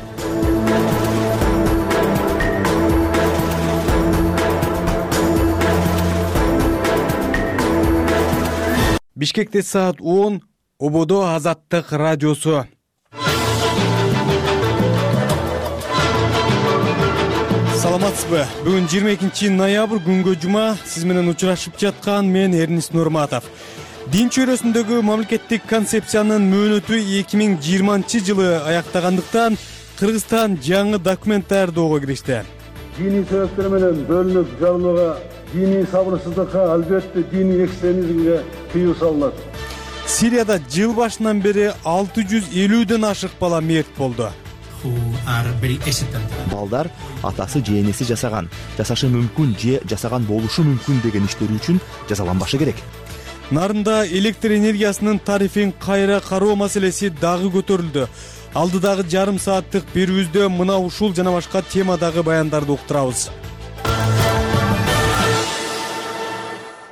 Бишкекте саат 10, ободо Азаттык радиосу. Саламатсызбы? Бүгүн 22 ноябрь күнгө жума. Сиз менен учурашып жаткан мен Эрнис Нурматов. Дин чөйрөсүндөгү мамлекеттик концепциянын мөөнөтү 2020-жылы аяктагандыктан Кыргызстан жаңы документ даярдоого киришти. Диний себептер менен бөлүнүп жарылууга, диний сабырсыздыкка, албетте диний экстремизмге тыюу салынат. Сирияда жыл башынан бери 650ден ашык бала мерт болду. Балдар атасы же энеси жасаган, жасашы мүмкүн же жасаган болушу мүмкүн деген иштери үчүн жазаланбашы керек. Нарында электр энергиясынын тарифин кайра кароо маселеси дагы көтөрүлдү. Алдыдагы жарым сааттык берүүбүздө мына ушул жана башка темадагы баяндарды уктурабыз.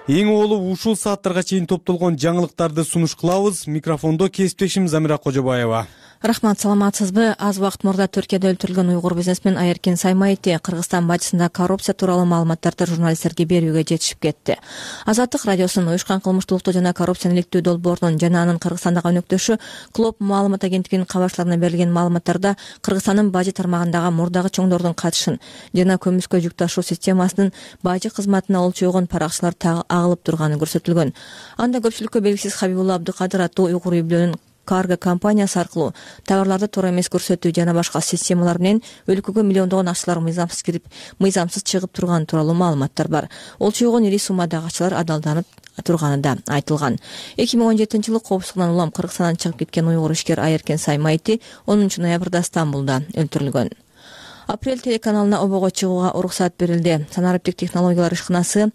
Эң олу ушул сааттарга чейин топтолгон жаңылыктарды сунуш кылабыз. Микрофондо кесиптешим Замира Кожобаева. Рахмат, саламатсызбы? Аз убакыт мурда Түркияда өлтүрүлгөн уйгур бизнесмен Айеркен Саймаити Кыргызстан бажысында коррупция тууралуу маалыматтарды журналисттерге берүүгө жетишип кетти. Азаттык радиосунун уюшкан кылмыштуулукту жана коррупцияны иликтөө долбоорунун жана анын Кыргызстандагы өнөктөшү Клоп маалымат агенттигинин кабарчыларына берилген маалыматтарда Кыргызстандын бажы тармагындагы мурдагы чоңдордун катышын жана көмүскө жүк ташуу системасынын бажы кызматына олчойгон паракчылар агылып турганы көрсөтүлгөн. Анда көпчүлүккө белгисиз Хабибулла Абдыкадыр аттуу уйгур үй-бүлөнүн карго компаниясы аркылуу товарларды туура эмес көрсөтүү жана башка системалар менен өлкөгө миллиондогон акчалар мыйзамсыз кирип, мыйзамсыз чыгып турганы тууралуу маалыматтар бар. Олчойгон ири суммадагы акчалар адалданып турганы да айтылган. 2017-жылы коопсуздугунан улам Кыргызстандан чыгып кеткен уйгур ишкер Айеркен Саймаити 10 ноябрда Стамбулда өлтүрүлгөн. Апрель телеканалына обого чыгууга уруксат берилди. Санариптик технологиялар ишканасы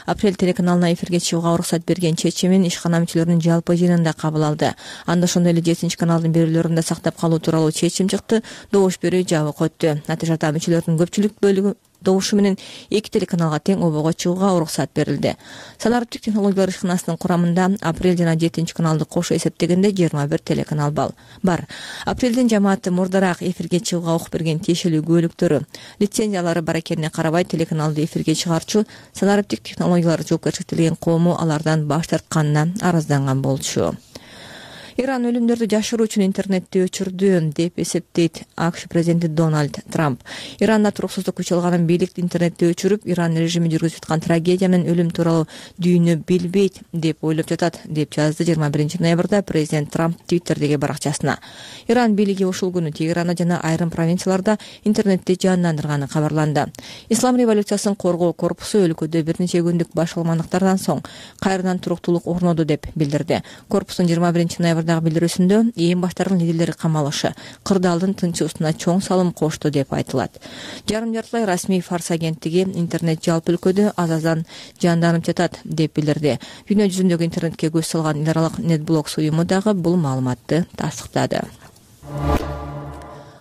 Апрель телеканалына эфирге чыгууга уруксат берген чечимин ишкана мүчөлөрүнүн жалпы жыйынында кабыл алды. Анда ошондой эле 7 каналдын берүүлөрүн да сактап калуу тууралуу чечим чыкты. Добуш берүү жабык өттү. Натыйжада мүчөлөрдүн көпчүлүк бөлүгү добушу менен 2 телеканалга тең обого чыгууга уруксат берилди. Санариптик технологиялар ишканасынын курамында Апрель жана 7 каналды кошо эсептегенде 21 телеканал бар. Апрелдин жамааты мурдараак эфирге чыгууга укук берген тиешелүү күбөлүктөрү, лицензиялары бар экенине карабай телеканалды эфирге чыгарчу Санариптик технологиялар жоопкерчиликтелген коому алардан баш тартканына арызданган болчу. Иран өлүмдөрдү жашыруу үчүн интернетти өчүрдү деп эсептейт АКШ президенти Дональд Трамп. Иранда туруксуздук күч алганын бийлик интернетти өчүрүп, Иран режими жүргүзүп жаткан трагедия менен өлүм тууралуу дүйнө билбейт деп ойлоп жатат, деп жазды 21 ноябрда президент Трамп Твиттердеги баракчасына. Иран бийлиги ушул күнү Тегеранда жана айрым провинцияларда интернетти жандандырганы кабарланды. Ислам революциясын коргоо корпусу өлкөдө бир нече күндүк башкалмандыктардан соң кайрадан туруктуулук орноду деп билдирди. Корпустун 21 ноябрдагы билдирүүсүндө ээн баштардын лидерлери камалышы, кырдаалдын тынчыбызына чоң салым кошту деп айтылат. Жарым жартылай расмий Фарс агенттиги интернет жалпы өлкөдө азаздан жанданып жатат деп билдирди. Дүйнө жүзүндөгү интернетке көз салган эл аралык NetBlocks уюму дагы бул маалыматты тастыктады.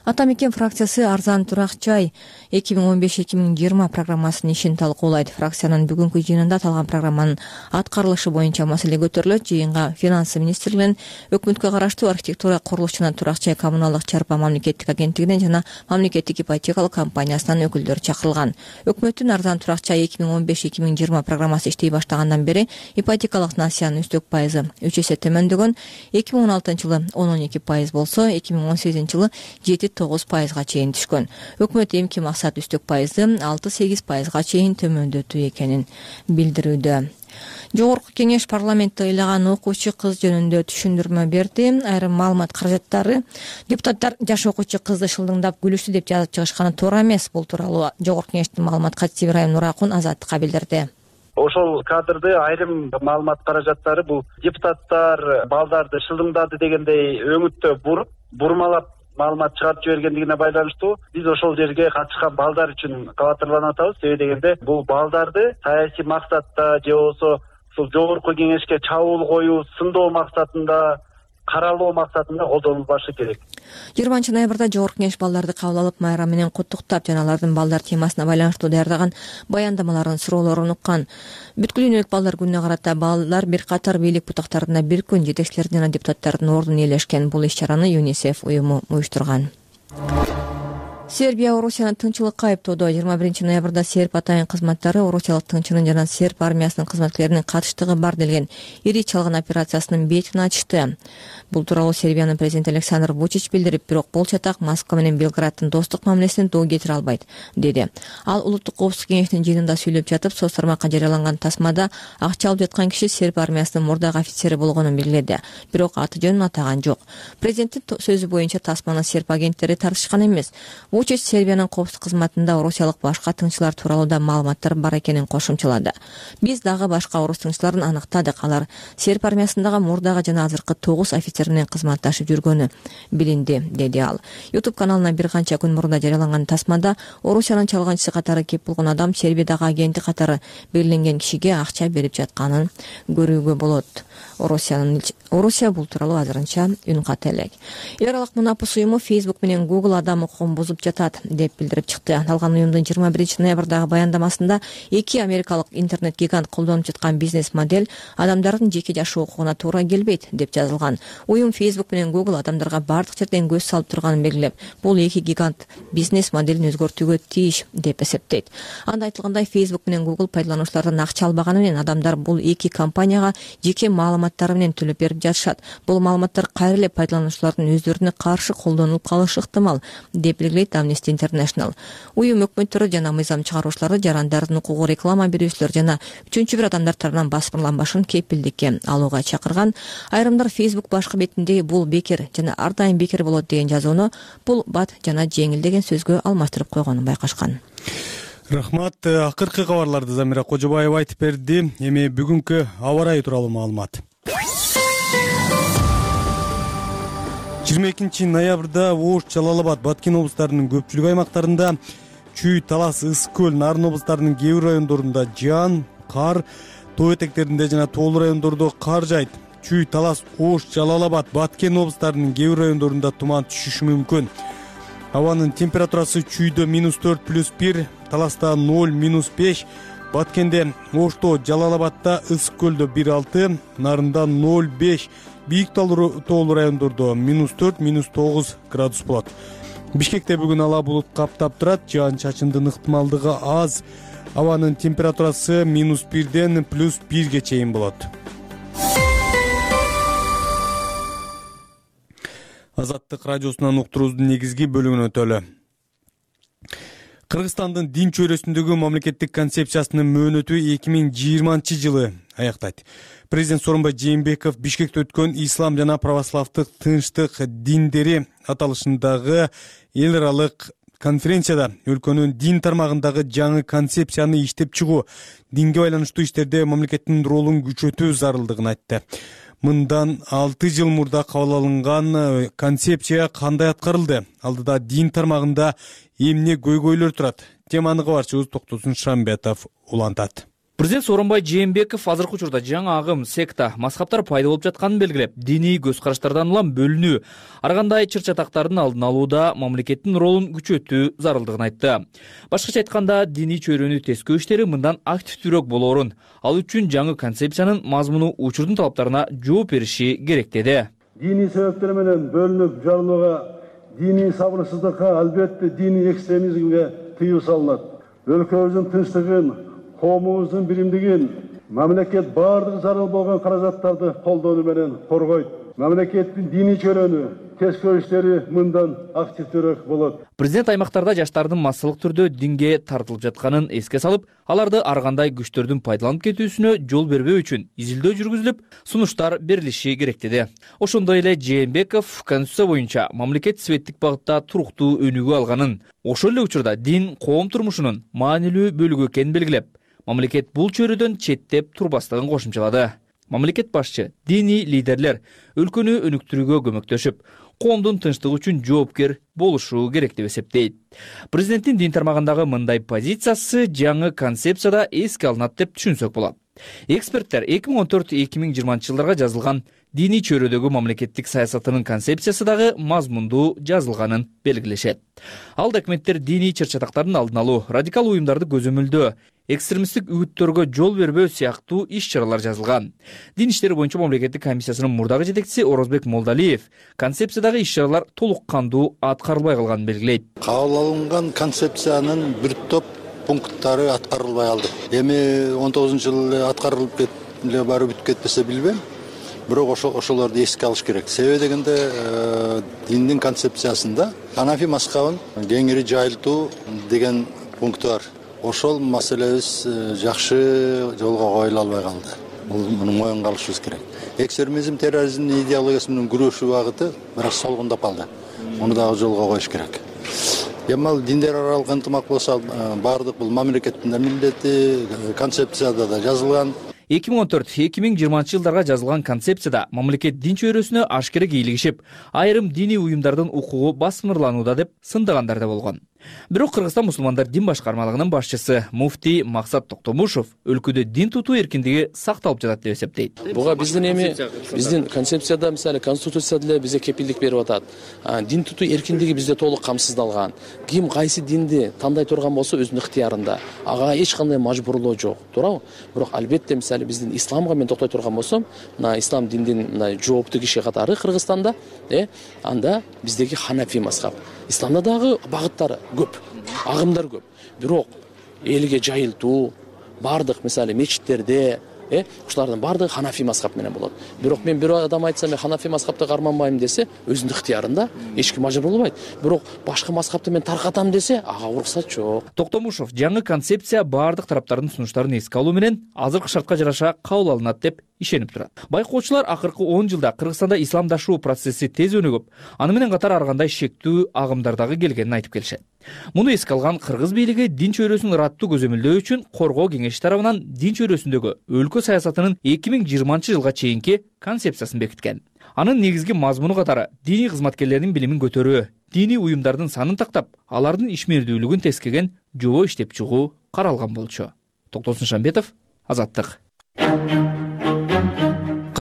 Ата мекен фракциясы арзан турак жай 2015-2020 программасынын ишин талкуулайт. Фракциянын бүгүнкү жыйынында аталган программанын аткарылышы боюнча маселе көтөрүлөт. Жыйынга финансы министрлигинен, өкмөткө караштуу архитектура, курулуш жана турак жай коммуналдык чарба мамлекеттик агенттигинен жана мамлекеттик ипотекалык компаниясынан өкүлдөр чакырылган. Өкмөттүн арзан турак жай 2015-2020 программасы иштей баштагандан бери ипотекалык насыянын үстөк пайызы 3 эсе төмөндөгөн. 2016-жылы 10-12% болсо, 2018-жылы 7-9%га чейин түшкөн. Өкмөт эмки максат үстөк пайызды 6-8%га чейин төмөндөтүү экенин билдирүүдө. Жогорку кеңеш парламентте ыйлаган окуучу кыз жөнүндө түшүндүрмө берди. Айрым маалымат каражаттары депутаттар жаш окуучу кызды шылдыңдап күлүштү деп жазып чыгышканы туура эмес. Бул тууралуу Жогорку кеңештин маалымат катчысы Ибрайым Нуракун Азаттыкка билдирди. Ошол кадрды айрым маалымат каражаттары бул депутаттар балдарды шылдыңдады дегендей өңүттө бурмалап маалымат чыгарып жибергендигине байланыштуу биз ошол жерге катышкан балдар үчүн кабатырланып атабыз. Себеби дегенде бул балдарды саясий максатта же болбосо ушул жогорку кеңешке чабуул коюу, сындоо максатында, каралоо максатында колдонулбашы керек. 20-ноябрда Жогорку Кеңеш балдарды кабыл алып, майрам менен куттуктап жана алардын балдар темасына байланыштуу даярдаган баяндамаларын, суроолорун уккан. Бүткүл дүйнөлүк балдар күнүнө карата балдар бир катар бийлик бутактарына бир күн жетекчилердин жана депутаттардын ордун ээлешкен. Бул иш-чараны ЮНИСЕФ уюму уюштурган. Сербия Орусияны тынччылыкка айыптоодо. 21-ноябрда серб атайын кызматтары Орусиялык тыңчынын жана серб армиясынын кызматкерлеринин катыштыгы бар делген ири чалгын операциясынын бетин ачты. Бул тууралуу Сербиянын президенти Александр Вучич билдирип, бирок бул чатак Москва менен Белграддын достук мамилесине доо кетире албайт, деди. Ал Улуттук коопсуздук кеңешинин жыйынында сүйлөп жатып, соц тармакка жарыяланган тасмада акча алып жаткан киши серб армиясынын мурдагы офицери болгонун белгиледи. Бирок аты жөнүн атаган жок. Президенттин сөзү боюнча тасманы серб агенттери тартышкан эмес. Вучич Сербиянын коопсуздук кызматында орусиялык башка тыңчылар тууралуу да маалыматтар бар экенин кошумчалады. Биз дагы башка орус тыңчыларын аныктадык. Алар серб армиясындагы мурдагы жана азыркы 9 офицер менен кызматташып жүргөнү билинди, деди ал. YouTube каналына бир канча күн мурда жарыяланган тасмада Орусиянын чалганчысы катары кеп болгон адам Сербиядагы агенти катары белгиленген кишиге акча берип жатканын көрүүгө болот. Орусия бул тууралуу азырынча үн ката элек. Эл аралык мунапыс уюму Facebook менен Google адам укугун бузуп жатат деп билдирип чыкты. Аталган уюмдун 21-ноябрдагы баяндамасында эки америкалык интернет гигант колдонуп жаткан бизнес модель адамдардын жеке жашоо укугуна туура келбейт деп жазылган. Уюм Facebook менен Google адамдарга бардык жерден көз салып турганын белгилеп, бул эки гигант бизнес моделин өзгөртүүгө тийиш деп эсептейт. Анда айтылгандай, Facebook менен Google пайдалануучулардан акча албаганы менен адамдар бул эки компанияга жеке маалыматтары менен төлөп берип жатышат. Бул маалыматтар кайра эле пайдалануучулардын өздөрүнө каршы колдонулуп калышы ыктымал деп белгилейт Amnesty International. Уюм өкмөттөрү жана мыйзам чыгаруучуларды жарандардын укугу реклама берүүчүлөр жана үчүнчү бир адамдар тарабынан басмырланбашын кепилдикке алууга чакырган. Айрымдар Facebook башкы бетинде бул бекер жана ар дайым бекер болот деген жазууну бул бат жана жеңил деген сөзгө алмаштырып койгонун байкашкан. Рахмат. Акыркы кабарларды Замира Кожобаева айтып берди. Эми бүгүнкү аба ырайы тууралуу маалымат. 22 ноябрда Ош, Жалал-Абад, Баткен облустарынын көпчүлүк аймактарында, Чүй, Талас, Ысык көл, Нарын облустарынын кээ бир райондорунда жаан, кар, тоо этектеринде жана тоолуу райондордо кар жайт. Чүй, Талас, Ош, Жалал-Абад, Баткен облустарынын кээ бир райондорунда туман түшүшү мүмкүн. Абанын температурасы Чүйдө -4+1, Таласта 0-5, Баткенде, Ошто, Жалал-Абадта, Ысык көлдө 1-6, Нарында 0-5, бийик тоолуу райондордо -4, -9 градус болот. Бишкекте бүгүн ала булут каптап турат, жаан чачындын ыктымалдыгы аз. Абанын температурасы -1ден +1ге чейин болот. Азаттык радиосунан уктуруубуздун негизги бөлүгүнө өтөлү. Кыргызстандын дин чөйрөсүндөгү мамлекеттик концепциясынын мөөнөтү 2020-жылы аяктайт. Президент Сооронбай Жээнбеков Бишкекте өткөн Ислам жана православдык тынчтык диндери аталышындагы эл аралык конференцияда өлкөнүн дин тармагындагы жаңы концепцияны иштеп чыгуу, динге байланыштуу иштерде мамлекеттин ролун күчөтүү зарылдыгын айтты. Мындан 6 жыл мурда кабыл алынган концепция кандай аткарылды? Алдыда дин тармагында эмне көйгөйлөр турат? Теманы кабарчыбыз Токтосун Шамбетов улантат. Президент Сооронбай Жээнбеков азыркы учурда жаңы агым, секта, мазхабтар пайда болуп жатканын белгилеп, диний көз караштардан улам бөлүнүү, ар кандай чыр-чатактардын алдын алууда мамлекеттин ролун күчөтүү зарылдыгын айтты. Башкача айтканда, диний чөйрөнү тескөө иштери мындан активдүүрөөк болоорун, ал үчүн жаңы концепциянын мазмуну учурдун талаптарына жооп бериши керек деди. Диний себептер менен бөлүнүп жарылууга, диний сабырсыздыкка, албетте диний экстремизмге тыюу салынат. Өлкөбүздүн тынчтыгын, коомубуздун биримдигин мамлекет баардык зарыл болгон каражаттарды колдонуу менен коргойт. Мамлекеттин диний чөйрөнү тескөө иштери мындан активдүүрөөк болот. Президент аймактарда жаштардын массалык түрдө динге тартылып жатканын эске салып, аларды ар кандай күчтөрдүн пайдаланып кетүүсүнө жол бербөө үчүн изилдөө жүргүзүлүп, сунуштар берилиши керек деди. Ошондой эле Жээнбеков Конституция боюнча мамлекет светтик багытта туруктуу өнүгүү алганын, ошол эле учурда дин коом турмушунун маанилүү бөлүгү экенин белгилеп, мамлекет бул чөйрөдөн четтеп турбастыгын кошумчалады. мамлекет башчы, диний лидерлер өлкөнү өнүктүрүүгө көмөктөшүп, коомдун тынчтыгы үчүн жоопкер болушу керек деп эсептейт. Президенттин дин тармагындагы мындай позициясы жаңы концепцияда эске алынат деп түшүнсөк болот. Эксперттер 2014-2020 жылдарга жазылган диний чөйрөдөгү мамлекеттик саясатынын концепциясы дагы мазмундуу жазылганын белгилешет. Ал документтер диний чыр-чатактардын алдын алуу, радикал уюмдарды көзөмөлдөө, экстремисттик үгүттөргө жол бербөө сыяктуу иш-чаралар жазылган. Дин иштери боюнча мамлекеттик комиссиясынын мурдагы жетекчиси Орозбек Молдалиев концепциядагы иш-чаралар толук кандуу аткарылбай калганын белгилейт. Кабыл алынган концепциянын бир топ пункттары аткарылбай калды. Эми 19-жылы аткарылып эле барып бүтүп кетпесе билбейм. Бирок ошолорду эске алыш керек. Себеби дегенде диндин концепциясында ханафи мазхабын кеңири жайылтуу деген пункту бар. Ошол маселебиз жакшы жолго коюла албай калды. Муну моюнга алышыбыз керек. Экстремизм, терроризмдин идеологиясы менен күрөшүү багыты бирок солгундап калды. Муну дагы жолго коюш керек. Эми ал диндер аралык ынтымак болсо баардык бул мамлекеттин милдети, концепцияда да жазылган. 2014-2020 жылдарга жазылган концепцияда мамлекет дин чөйрөсүнө ашкере кийлигишип, айрым диний уюмдардын укугу басмырланууда деп сындагандар да болгон. Бирок Кыргызстан мусулмандар дин башкармалыгынын башчысы муфтий Максат Токтомушов өлкөдө дин тутуу эркиндиги сакталып жатат деп эсептейт. Буга биздин концепцияда, мисалы конституцияда деле бизге кепилдик берип атат. Дин тутуу эркиндиги бизде толук камсыздалган. Ким кайсы динди тандай турган болсо өзүнүн ыктыярында. Ага эч кандай мажбурлоо жок, туурабы? Бирок албетте мисалы биздин исламга мен токтой турган болсом, мына ислам диндин мына жооптуу киши катары Кыргызстанда, анда биздеги ханафи мазхаб. Исламда дагы багыттары көп, агымдар көп. Бирок элге жайылтуу, бардык мисалы мечиттерде, ушулардын бардыгы ханафи мазхаб менен болот. Бирок мен бир адам айтса, мен ханафи мазхабты карманбайм десе, өзүнүн ыктыярында, эч ким мажбурлабайт. Бирок башка мазхабты мен таркатам десе, ага уруксат жок. Токтомушов жаңы концепция бардык тараптардын сунуштарын эске алуу менен азыркы шартка жараша кабыл алынат деп ишенип турат. Байкоочулар акыркы 10 жылда Кыргызстанда исламдашуу процесси тез өнүгүп, аны менен катар ар кандай шектүү агымдар дагы келгенин айтып келишет. Муну эске алган кыргыз бийлиги дин чөйрөсүн ыраттуу көзөмөлдөө үчүн Коргоо кеңеши тарабынан дин чөйрөсүндөгү өлкө саясатынын 2020 жылга чейинки концепциясын бекиткен. Анын негизги мазмуну катары диний кызматкерлердин билимин көтөрүү, диний уюмдардын санын тактап, алардын ишмердүүлүгүн тескеген жобо иштеп чыгуу каралган болчу. Токтосун Шамбетов, Азаттык.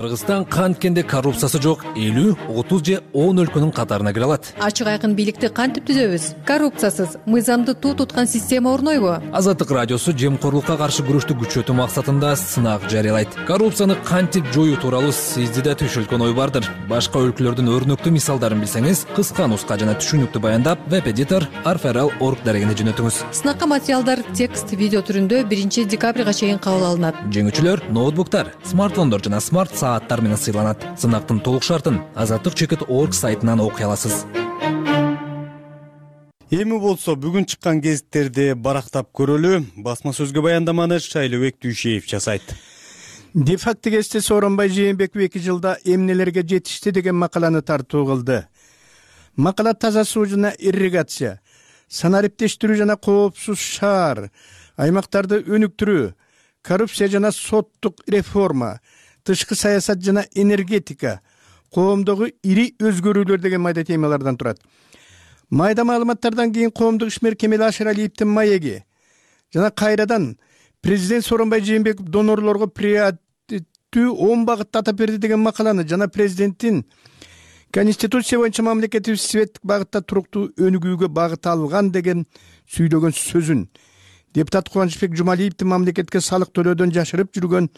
Кыргызстан канткенде коррупциясы жок 50, 30 же 10 өлкөнүн катарына кире алат. Ачык айкын бийликти кантип түзөбүз? Коррупциясыз, мыйзамды туу туткан система орнойбу? Азаттык радиосу жемкорлукка каршы күрөштү күчөтүү максатында сынак жарыялайт. Коррупцияны кантип жоюу тууралуу сизде да түшүлгөн ой бардыр. Башка өлкөлөрдүн өрнөктүү мисалдарын билсеңиз, кыска нуска жана түшүнүктүү баяндап веб-эдитор arferal.org дарегине жөнөтүңүз. Сынакка материалдар текст, видео түрүндө 1 декабрга чейин кабыл алынат. Жеңүүчүлөр ноутбуктар, смартфондор жана смарт сааттар менен сыйланат. Сынактын толук шартын azattik.org сайтынан окуй аласыз. Эми болсо бүгүн чыккан гезиттерди барактап көрөлү. Басма сөзгө баяндаманы Шайлыбек Дүйшеев жасайт. Де-факто гезити Сооронбай Жээнбеков 2 жылда эмнелерге жетишти деген макаланы тартуу кылды. Макала таза суу жана ирригация, санариптештирүү жана коопсуз шаар, аймактарды өнүктүрүү, коррупция жана соттук реформа, тышкы саясат жана энергетика, коомдогу ири өзгөрүүлөр деген майда темалардан турат. Майда маалыматтардан кийин коомдук ишмер Кемел Ашыралиевдин маеги жана кайрадан президент Сооронбай Жээнбеков донорлорго приоритеттүү 10 багытты атап берди деген макаланы жана президенттин Конституция боюнча мамлекеттик светтик багытта туруктуу өнүгүүгө багыт алган деген сүйлөгөн сөзүн депутат Кубанычбек Жумалиевдин мамлекетке салык төлөөдөн жашырып жүргөн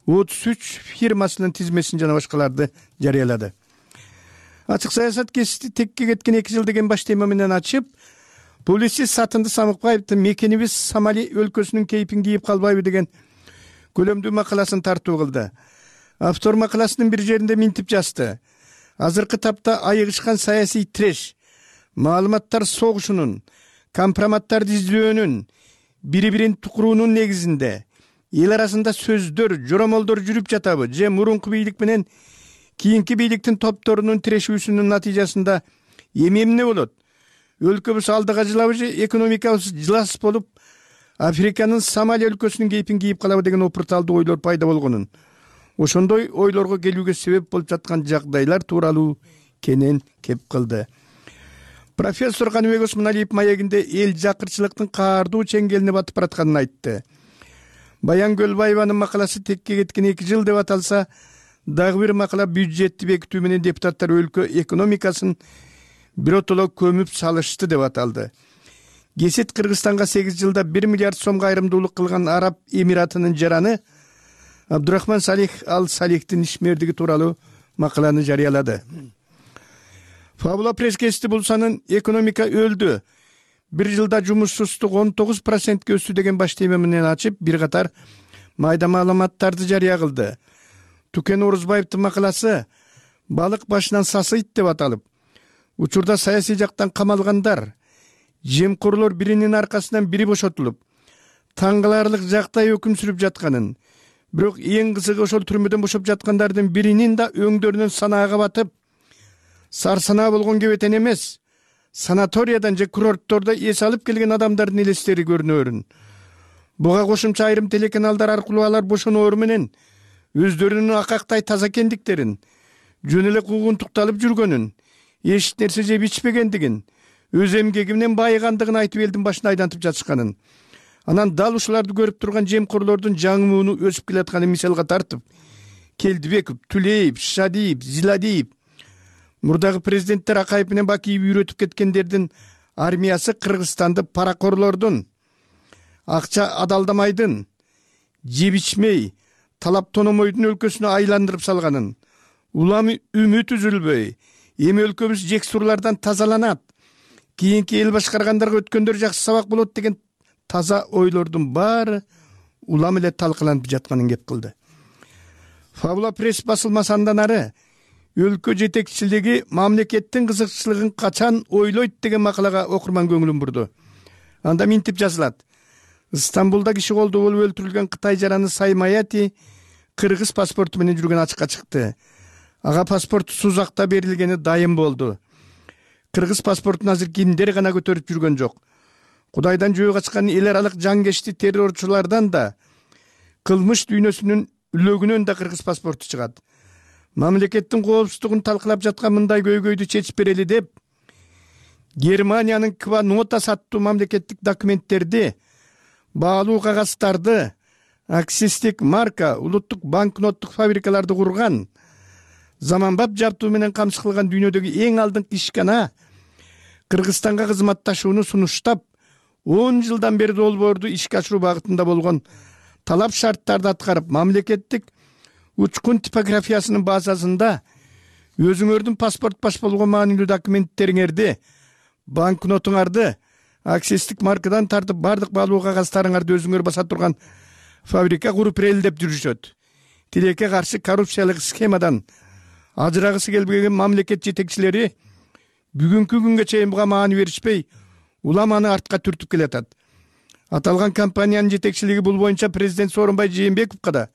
33 фирмасынын тизмесин жана башкаларды жарыялады. Ачык саясат гезити текке кеткен 2 жыл деген баш тема менен ачып, публицист Сатынды Самыкбаевдин мекенибиз Сомали өлкөсүнүн кейпин кийип калбайбы деген көлөмдүү макаласын тартуу кылды. Автор макаласынын бир жеринде минтип жазды. Азыркы тапта айыгышкан саясий треш, маалыматтар согушунун, компроматтарды издөөнүн, бири-бирин тукуруунун негизинде эл арасында сөздөр, жоромолдор жүрүп жатабы же мурунку бийлик менен кийинки бийликтин топторунун тирешүүсүнүн натыйжасында эмне болот? Өлкөбүз алдыга жылабы же экономикабыз жылас болуп, Африканын Сомали өлкөсүнүн кейпин кийип калабы деген опурталдуу ойлор пайда болгонун, ошондой ойлорго келүүгө себеп болуп жаткан жагдайлар тууралуу кенен кеп кылды. Профессор Каныбек Осмоналиев маегинде эл жакырчылыктын каардуу чеңгелине батып баратканын айтты. Баян Көлбаеванын макаласы текке кеткен 2 жыл деп аталса, дагы бир макала бюджетти бекитүү менен депутаттар өлкө экономикасын биротоло көмүп салышты деп аталды. Кесет Кыргызстанга 8 жылда 1 миллиард сомго айрымдуулук кылган Араб Эмиратынын жараны Абдурахман Салих Ал Салихтин ишмердиги тууралуу макаланы жарыялады. Фабула пресс-гезити бул санын экономика өлдү, 1 жылда жумушсуздук 19%ке өстү деген баш тема менен ачып, бир катар майда маалыматтарды жарыя кылды. Тукен Орузбаевдин макаласы балык башынан сасыйт деп аталып, учурда саясий жактан камалгандар, жемкорлор биринин аркасынан бири бошотулуп, таң каларлык жактай өкүм сүрүп жатканын, бирок эң кызыгы ошол түрмөдөн бошоп жаткандардын биринин да өңдөрүнөн санаага батып, сарсанаа болгон кебетен эмес, санаториядан же курорттордо эс алып келген адамдардын элестери көрүнөрүн. Буга кошумча айрым телеканалдар аркылуу алар бошоноору менен өздөрүнүн акактай таза экендиктерин, жөн эле куугунтукталып жүргөнүн, эч нерсе жеп ичпегендигин, өз эмгеги менен байыгандыгын айтып элдин башына айдантып жатышканын, анан дал ушуларды көрүп турган жемкорлордун жаңы мууну өсүп келатканын мисалга тартып, Келдибеков, Түлеев, Шадиев, Зиладиев, мурдагы президенттер Акаев менен Бакиев үйрөтүп кеткендердин армиясы Кыргызстанды паракорлордун, акча адалдамайдын, жеп ичмей, талап тономойдун өлкөсүнө айландырып салганын, улам үмүт үзүлбөй, эми өлкөбүз жексурлардан тазаланат, кийинки эл башкаргандарга өткөндөр жакшы сабак болот деген таза ойлордун баары улам эле талкыланып жатканын кеп кылды. Фабула пресс басылмасы андан ары өлкө жетекчилиги мамлекеттин кызыкчылыгын качан ойлойт деген макалага окурман көңүлүн бурду. Анда минтип жазылат: Стамбулда киши колдо болуп өлтүрүлгөн Кытай жараны Саймаяти кыргыз паспорту менен жүргөн ачыкка чыкты. Ага паспорт Сузакта берилгени дайым болду. Кыргыз паспортун азыр кимдер гана көтөрүп жүргөн жок. Кудайдан жөө качкан эл аралык жангешти террорчулардан да, кылмыш дүйнөсүнүн үлөгүнөн да кыргыз паспорту чыгат. Мамлекеттин коопсуздугун талкылап жаткан мындай көйгөйдү чечип берели деп, Германиянын Ква Нотас аттуу мамлекеттик документтерди, баалуу кагаздарды, акцистик марка, улуттук банкноттук фабрикаларды курган, заманбап жабдуу менен камсыз кылган дүйнөдөгү эң алдыңкы ишкана Кыргызстанга кызматташууну сунуштап, 10 жылдан бери долбоорду ишке ашыруу багытында болгон талап шарттарды аткарып, мамлекеттик учкун типографиясынын базасында өзүңөрдүн паспорт баш болгон маанилүү документтериңерди, банкнотуңарды, акцистик маркадан тартып бардык баалуу кагаздарыңарды өзүңөр баса турган фабрика куруп ирелдеп жүрүшөт. Тилекке каршы коррупциялык схемадан ажырагысы келбеген мамлекет жетекчилери бүгүнкү күнгө чейин буга маани беришпей, улам аны артка түртүп келатат. Аталган компаниянын жетекчилиги бул боюнча президент Сооронбай Жээнбековго да,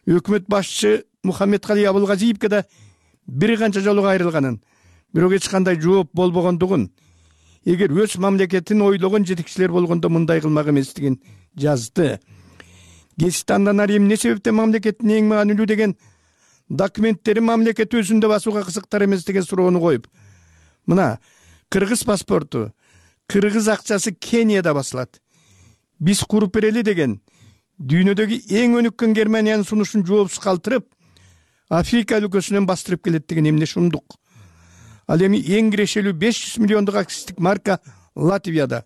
өкмөт башчы Мухаммедкали Абылгазиевге да бир канча жолу кайрылганын, бирок эч кандай жооп болбогондугун, эгер өз мамлекетин ойлогон жетекчилер болгондо мындай кылмак эместигин жазды. Гезит андан ары эмне себептен мамлекеттин эң маанилүү деген документтери мамлекет өзүндө басууга кызыктар эмес деген суроону коюп, мына кыргыз паспорту, кыргыз акчасы Кенияда басылат, биз куруп берели деген дүйнөдөгү эң өнүккөн Германиянын сунушун жоопсуз калтырып, Африка өлкөсүнөн бастырып келет деген эмне шумдук. Ал эми эң кирешелүү 500 миллиондук акцистик марка Латвияда,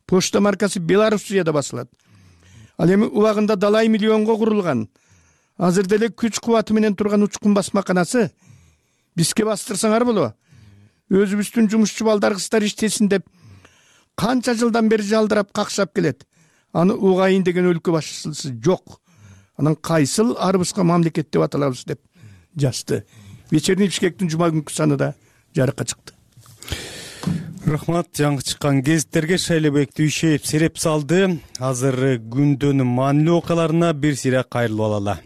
почта маркасы Белоруссияда басылат. Ал эми убагында далай миллионго курулган, азыр деле күч кубаты менен турган учкун басмаканасы бизге бастырсаңар болобу? Өзүбүздүн жумушчу балдар кыздар иштесин деп канча жылдан бери жалдырап какшап келет. Аны угайын деген өлкө башчысы жок. Анан кайсыл арыбызга мамлекет деп аталабыз деп жазды. Вечерний Бишкектин жума күнкү санында жарыкка чыкты. Рахмат, жаңы чыккан гезиттерге Шайлебек Дүйшеев сереп салды. Азыр күндүн маанилүү окуяларына бир сыйра кайрылып алалы.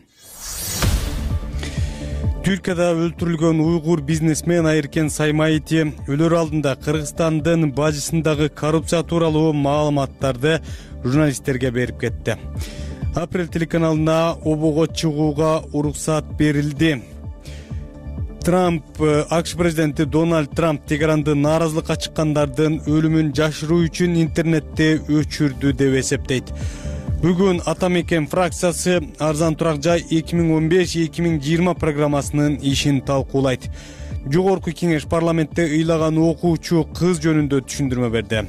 Түркияда өлтүрүлгөн уйгур бизнесмен Айыркен Саймаити өлөр алдында Кыргызстандын бажысындагы коррупция тууралуу маалыматтарды журналисттерге берип кетти. Апрель телеканалына обого чыгууга уруксат берилди. АКШ президенти Дональд Трамп Тегеранды нааразылыкка чыккандардын өлүмүн жашыруу үчүн интернетте өчүрдү деп эсептейт. Бүгүн Ата мекен фракциясы арзан турак жай 2015-2020 программасынын ишин талкуулайт. Жогорку кеңеш парламентте ыйлаган окуучу кыз жөнүндө түшүндүрмө берди.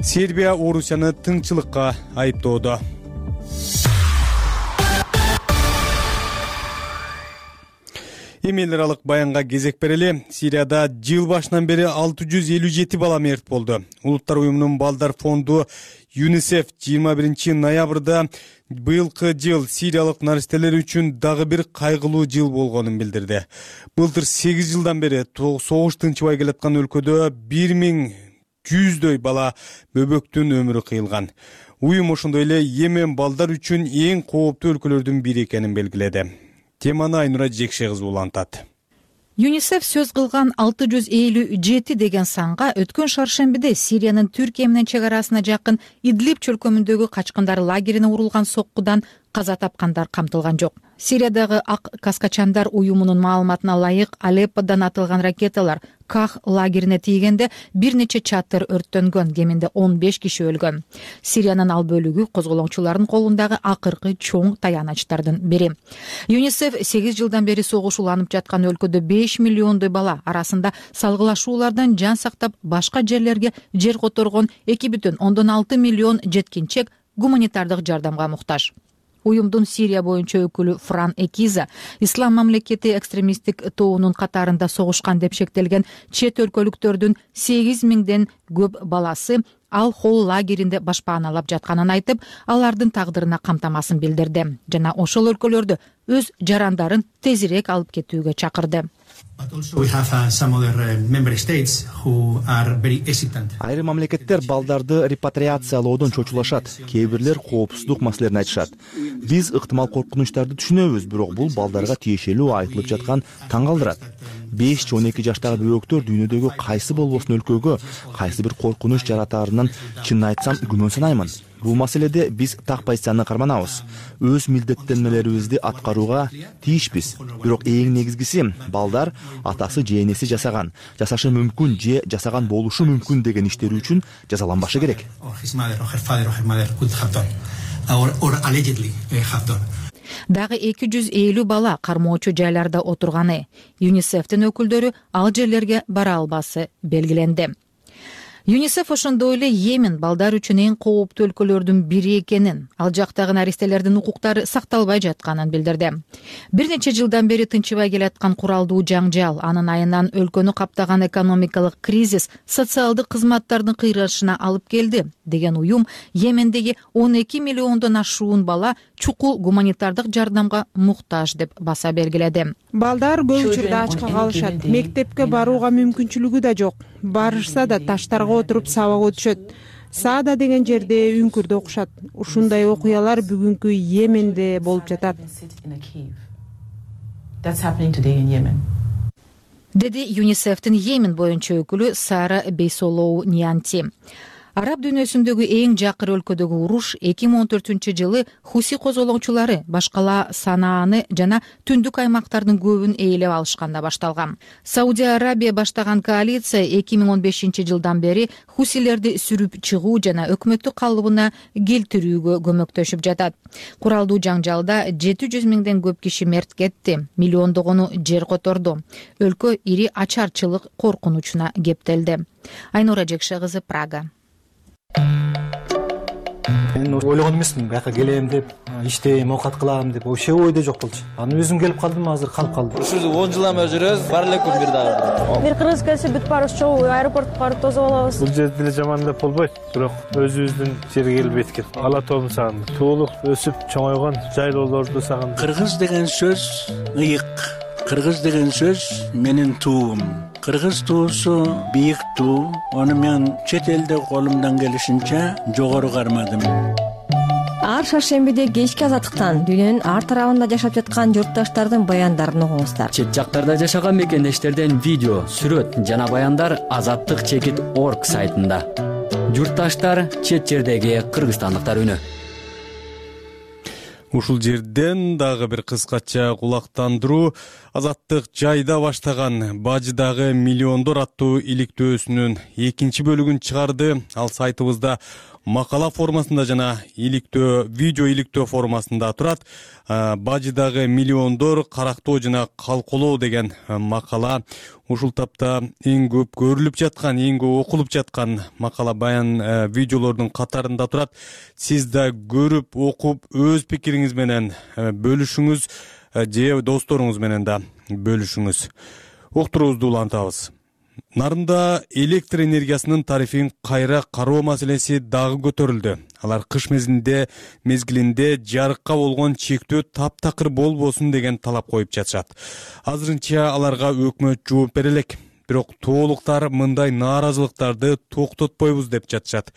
Сербия Орусияны тыңчылыкка айыптоодо. Эмел аралык баянга кезек берели. Сирияда жыл башынан бери 657 бала мерт болду. Улуттар уюмунун балдар фонду ЮНИСЕФ 21 ноябрда быйылкы жыл сириялык наристелер үчүн дагы бир кайгылуу жыл болгонун билдирди. Былтыр 8 жылдан бери согуш тынчыбай келаткан өлкөдө 1100дөй бала бөбөктүн өмүрү кыйылган. Уюм ошондой эле Йемен балдар үчүн эң кооптуу өлкөлөрдүн бири экенин белгиледи. Теманы Айнура Жекше кызы улантат. ЮНИСЕФ сөз кылган 657 деген санга өткөн шаршембиде Сириянын Түркия менен чек арасына жакын Идлиб чөлкөмүндөгү качкындар лагерине урулган соккудан каза тапкандар камтылган жок. Сириядагы Ак Каскачандар уюмунун маалыматына ылайык Алепподон атылган ракеталар Ках лагерине тийгенде бир нече чатыр өрттөнгөн, кеминде 15 киши өлгөн. Сириянын ал бөлүгү козголоңчулардын колундагы акыркы чоң таянычтардын бири. ЮНИСЕФ 8 жылдан бери согуш уланып жаткан өлкөдө 5 миллиондой бала арасында салгылашуулардан жан сактап башка жерлерге жер которгон 2,6 миллион жеткинчек гуманитардык жардамга муктаж. Уюмдун Сирия боюнча өкүлү Фран Экиза Ислам мамлекети экстремисттик тобунун катарында согушкан деп шектелген чет өлкөлүктөрдүн 8000ден көп баласы Ал Хол лагеринде башпааналап жатканын айтып, алардын тагдырына камтамасын билдирди жана ошол өлкөлөрдө өз жарандарын тезирээк алып кетүүгө чакырды. Айрым мамлекеттер балдарды репатриациялоодон чочулашат, кээ бирлер коопсуздук маселелерин айтышат. Биз ыктымал коркунучтарды түшүнөбүз, бирок бул балдарга тиешелүү айтылып жаткан таң калтырат. 5 же 12 жаштагы бөбөктөр дүйнөдөгү кайсы болбосун өлкөгө кайсы бир коркунуч жаратаарынан чынын айтсам күмөн санаймын. Бул маселеде биз так позицияны карманабыз. Өз милдеттенмелерибизди аткарууга тийишпиз. Бирок эң негизгиси балдар атасы же энеси жасаган, жасашы мүмкүн же жасаган болушу мүмкүн деген иштери үчүн жазаланбашы керек. Дагы 250 бала кармоочу жайларда отурганы. ЮНИСЕФтин өкүлдөрү ал жерлерге бара албасы белгиленди. ЮНИСЕФ ошондой эле Йемен балдар үчүн эң кооптуу өлкөлөрдүн бири экенин, ал жактагы наристелердин укуктары сакталбай жатканын билдирди. Бир нече жылдан бери тынчыбай келаткан куралдуу жаңжал, анын айынан өлкөнү каптаган экономикалык кризис социалдык кызматтардын кыйрашына алып келди деген уюм Йемендеги 12 миллиондон ашуун бала чукул гуманитардык жардамга муктаж деп баса белгиледи. Балдар көп учурда ачка калышат, мектепке барууга мүмкүнчүлүгү да жок. Барышса да таштарга отуруп сабак өтүшөт. Саада деген жерде үңкүрдө окушат. Ушундай окуялар бүгүнкү Йеменде болуп жатат. Деди ЮНИСЕФтин Йемен боюнча өкүлү Сара Бейсолоу Ньянти. Араб дүйнөсүндөгү эң жакыр өлкөдөгү уруш 2014-жылы Хуси козголоңчулары башкала Санааны жана түндүк аймактардын көбүн ээлеп алышканда башталган. Саудия Арабия баштаган коалиция 2015-жылдан бери Хусилерди сүрүп чыгуу жана өкмөттүк калыбына келтирүүгө көмөктөшүп жатат. Куралдуу жаңжалда 700 миңден көп киши мерт кетти, миллиондогону жер которду. Өлкө ири ачарчылык коркунучуна кептелди. Айнура Жекше кызы, Прага. Мен ойлогон эмесмин, бияка келем деп, иштейм, оокат кылам деп, вообще ойдо жок болчу. Анан өзүм келип калдым, азыр калып калдым. Ушул 10 жылдан бери жүрөбүз, бар эле күн бир дагы. Бир кыргыз келсе бүт барыбыз чогуу аэропортко барып тосуп алабыз. Бул жерде деле жаман деп болбойт, бирок өзүбүздүн жерге келип эткен. Ала тообун сагындым. Туулук өсүп чоңойгон жайлоолорду сагындым. Кыргыз деген сөз ыйык. Кыргыз деген сөз менин туум. Кыргыз туусу бийик туу. Аны мен чет элде колумдан келишинче жогору кармадым. Ар шаршембиде кечки азаттыктан дүйнөнүн ар тарабында жашап жаткан журтташтардын баяндарын угуңуздар. Чет жактарда жашаган мекендештерден видео, сүрөт жана баяндар azattik.org сайтында. Журтташтар чет жердеги кыргызстандыктар үнү. Ушул жерден дагы бир кыскача кулактандыруу. Азаттык жайда баштаган Бажыдагы миллиондор аттуу иликтөөсүнүн экинчи бөлүгүн чыгарды. Ал сайтыбызда макала формасында жана видео иликтөө формасында турат. Бажыдагы миллиондор карактоо жана калколоо деген макала ушул тапта эң көп көрүлүп жаткан, эң көп окулуп жаткан макала баян видеолордун катарында турат. Сиз да көрүп, окуп, өз пикириңиз менен бөлүшүңүз же досторуңуз менен да бөлүшүңүз. Уктуруубузду улантабыз. Нарында электр энергиясынын тарифин кайра кароо маселеси дагы көтөрүлдү. Алар кыш мезгилинде жарыкка болгон чектөө таптакыр болбосун деген талап коюп жатышат. Азырынча аларга өкмөт жооп бере элек. Бирок тоолуктар мындай нааразылыктарды токтотпойбуз деп жатышат.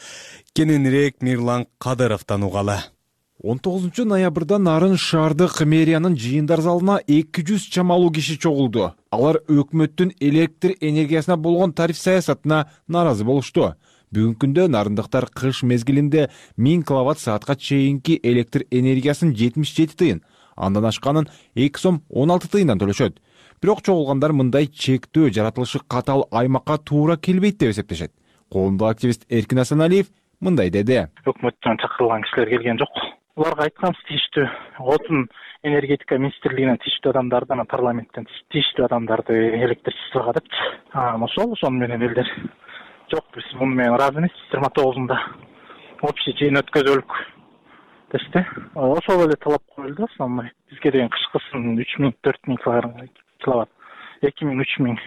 Кененирээк Мирлан Кадыровдон угалы. 19 ноябрда Нарын шаардык мэриянын жыйындар залына 200 чамалуу киши чогулду. Алар өкмөттүн электр энергиясына болгон тариф саясатына нааразы болушту. Бүгүнкү күндө нарындыктар кыш мезгилинде 1000 киловатт саатка чейинки электр энергиясын 77 тыйын, андан ашканын 2 сом 16 тыйындан төлөшөт. Бирок чогулгандар мындай чектөө жаратылышы катал аймакка туура келбейт деп эсептешет. Коомдук активист Эркин Асаналиев мындай деди. Өкмөттөн чакырылган кишилер келген жок. Уларга айтканбыз, тийиштүү отун энергетика министрлигинен тийиштүү адамдардан, парламенттен тийиштүү адамдарды электр чыгага депчи. Ошону менен элдер жок, биз муну менен ыраазы эмеспиз. 29-unda общий жыйын өткөзөлүк дешти. Ошол эле талап коюлду. Бизге деген кышкысын 3000-4000 киловатт, 2000-3000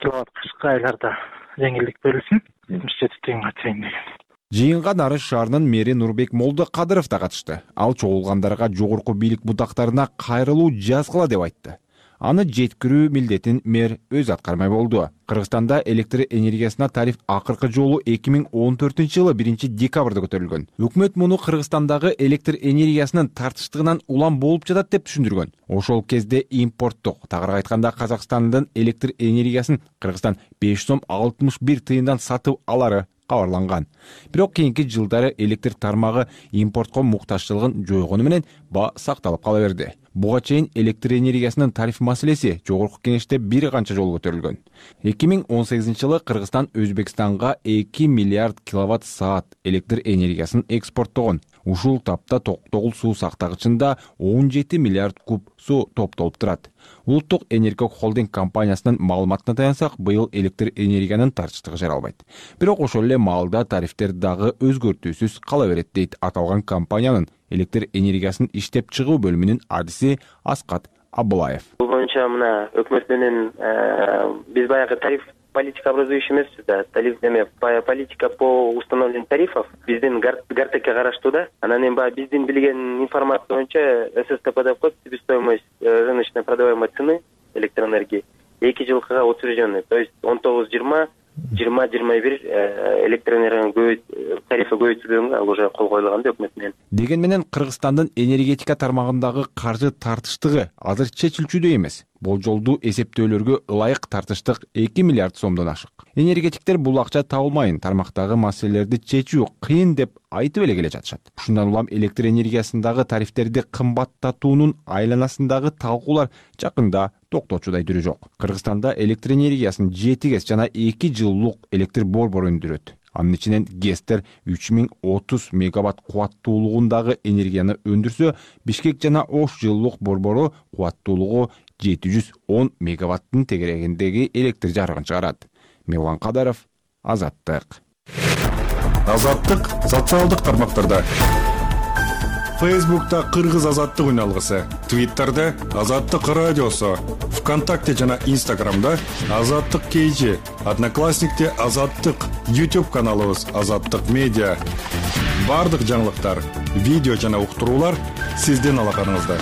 киловатт кышкы айларда жеңилдик берилсин, 77 тыйынга чейин деген. Жыйынга Нарын шаарынын мэри Нурбек Молдокадыров да катышты. Ал чогулгандарга жогорку бийлик бутактарына кайрылуу жазгыла деп айтты. Аны жеткирүү милдетин мэр өз аткармай болду. Кыргызстанда электр энергиясына тариф акыркы жолу 2014-жылы 1-декабрда көтөрүлгөн. Өкмөт муну Кыргызстандагы электр энергиясынын тартыштыгынан улам болуп жатат деп түшүндүргөн. Ошол кезде импорттук, тагыраак айтканда Казакстандын электр энергиясын Кыргызстан 5 сом 61 тыйындан сатып алары кабарланган. Бирок кийинки жылдары электр тармагы импортко муктажчылыгын жойгону менен баа сакталып кала берди. Буга чейин электр энергиясынын тариф маселеси жогорку кеңеште бир канча жолу көтөрүлгөн. 2018-жылы Кыргызстан Өзбекстанга 2 миллиард киловатт саат электр энергиясын экспорттогон. Ушул тапта Токтогул суу сактагычында 17 миллиард куб суу топтолуп турат. Улуттук энергия холдинг компаниясынын маалыматына таянсак, быйыл электр энергиянын тартыштыгы жаралбайт. Бирок ошол эле маалда тарифтер дагы өзгөртүүсүз кала берет дейт аталган компаниянын электр энергиясын иштеп чыгуу бөлүмүнүн адиси Аскат Абылаев. Бул боюнча мына өкмөт менен биз баягы тариф политика образующий эмеспиз да, политика по установлению тарифов биздин Гартекке караштуу да. Анан эми баягы биздин билген информация боюнча ССТП деп коет, себестоимость рыночной продаваемой цены электроэнергии 2 жылкыга утвержденный, то есть 19-20 20-21 электроэнергиянын тарифи көбөйтүлгөнгө ал уже кол коюлган өкмөт менен. Деген менен Кыргызстандын энергетика тармагындагы каржы тартыштыгы азыр чечилчүдөй эмес. Болжолдуу эсептөөлөргө ылайык тартыштык 2 миллиард сомдон ашык. Энергетиктер бул акча табылмайын, тармактагы маселелерди чечүү кыйын деп айтып эле келе жатышат. Ушундан улам электр энергиясындагы тарифтерди кымбаттатуунун айланасындагы талкуулар жакында токточудай түрү жок. Кыргызстанда электр энергиясын 7 ГЭС жана 2 жылуулук электр борбору өндүрөт. Анын ичинен ГЭСтер 3030 мегаватт кубаттуулугундагы энергияны өндүрсө, Бишкек жана Ош жылуулук борбору кубаттуулугу 710 мегаваттын тегерегиндеги электр жарыгын чыгарат. Мирлан Кадыров, Азаттык. Азаттык социалдык тармактарда. Фейсбукта Кыргыз Азаттык үналгысы, Твиттерде Азаттык радиосу, ВКонтакте жана Инстаграмда Азаттык KG, Одноклассникте Азаттык, YouTube каналыбыз Азаттык Медиа. Бардык жаңылыктар, видео жана уктуруулар сиздин алаканыңызда.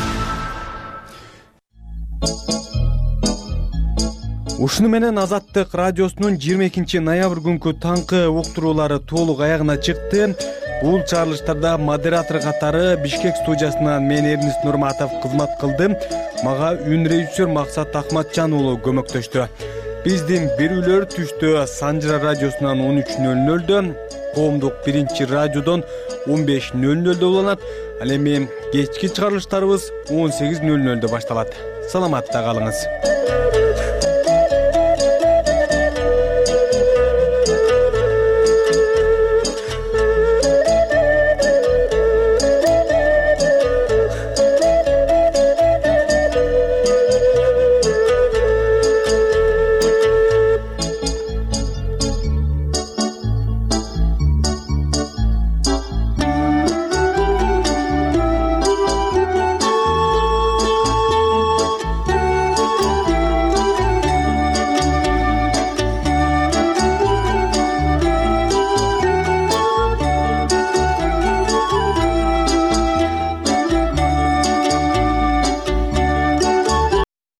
Ушуну менен Азаттык радиосунун 22 ноябрь күнкү таңкы уктуруулары толук аягына чыкты. Бул чыгарылыштарда модератор катары Бишкек студиясынан мен Эрнис Нурматов кызмат кылдым. Мага үн режиссер Максат Ахматжан уулу көмөктөштү. Биздин берүүлөр түштө Санжыра радиосунан 13:00, Коомдук биринчи радиодон 15:00 уланат. Ал эми кечки чыгарылыштарыбыз 18:00 башталат. Саламатта калыңыз.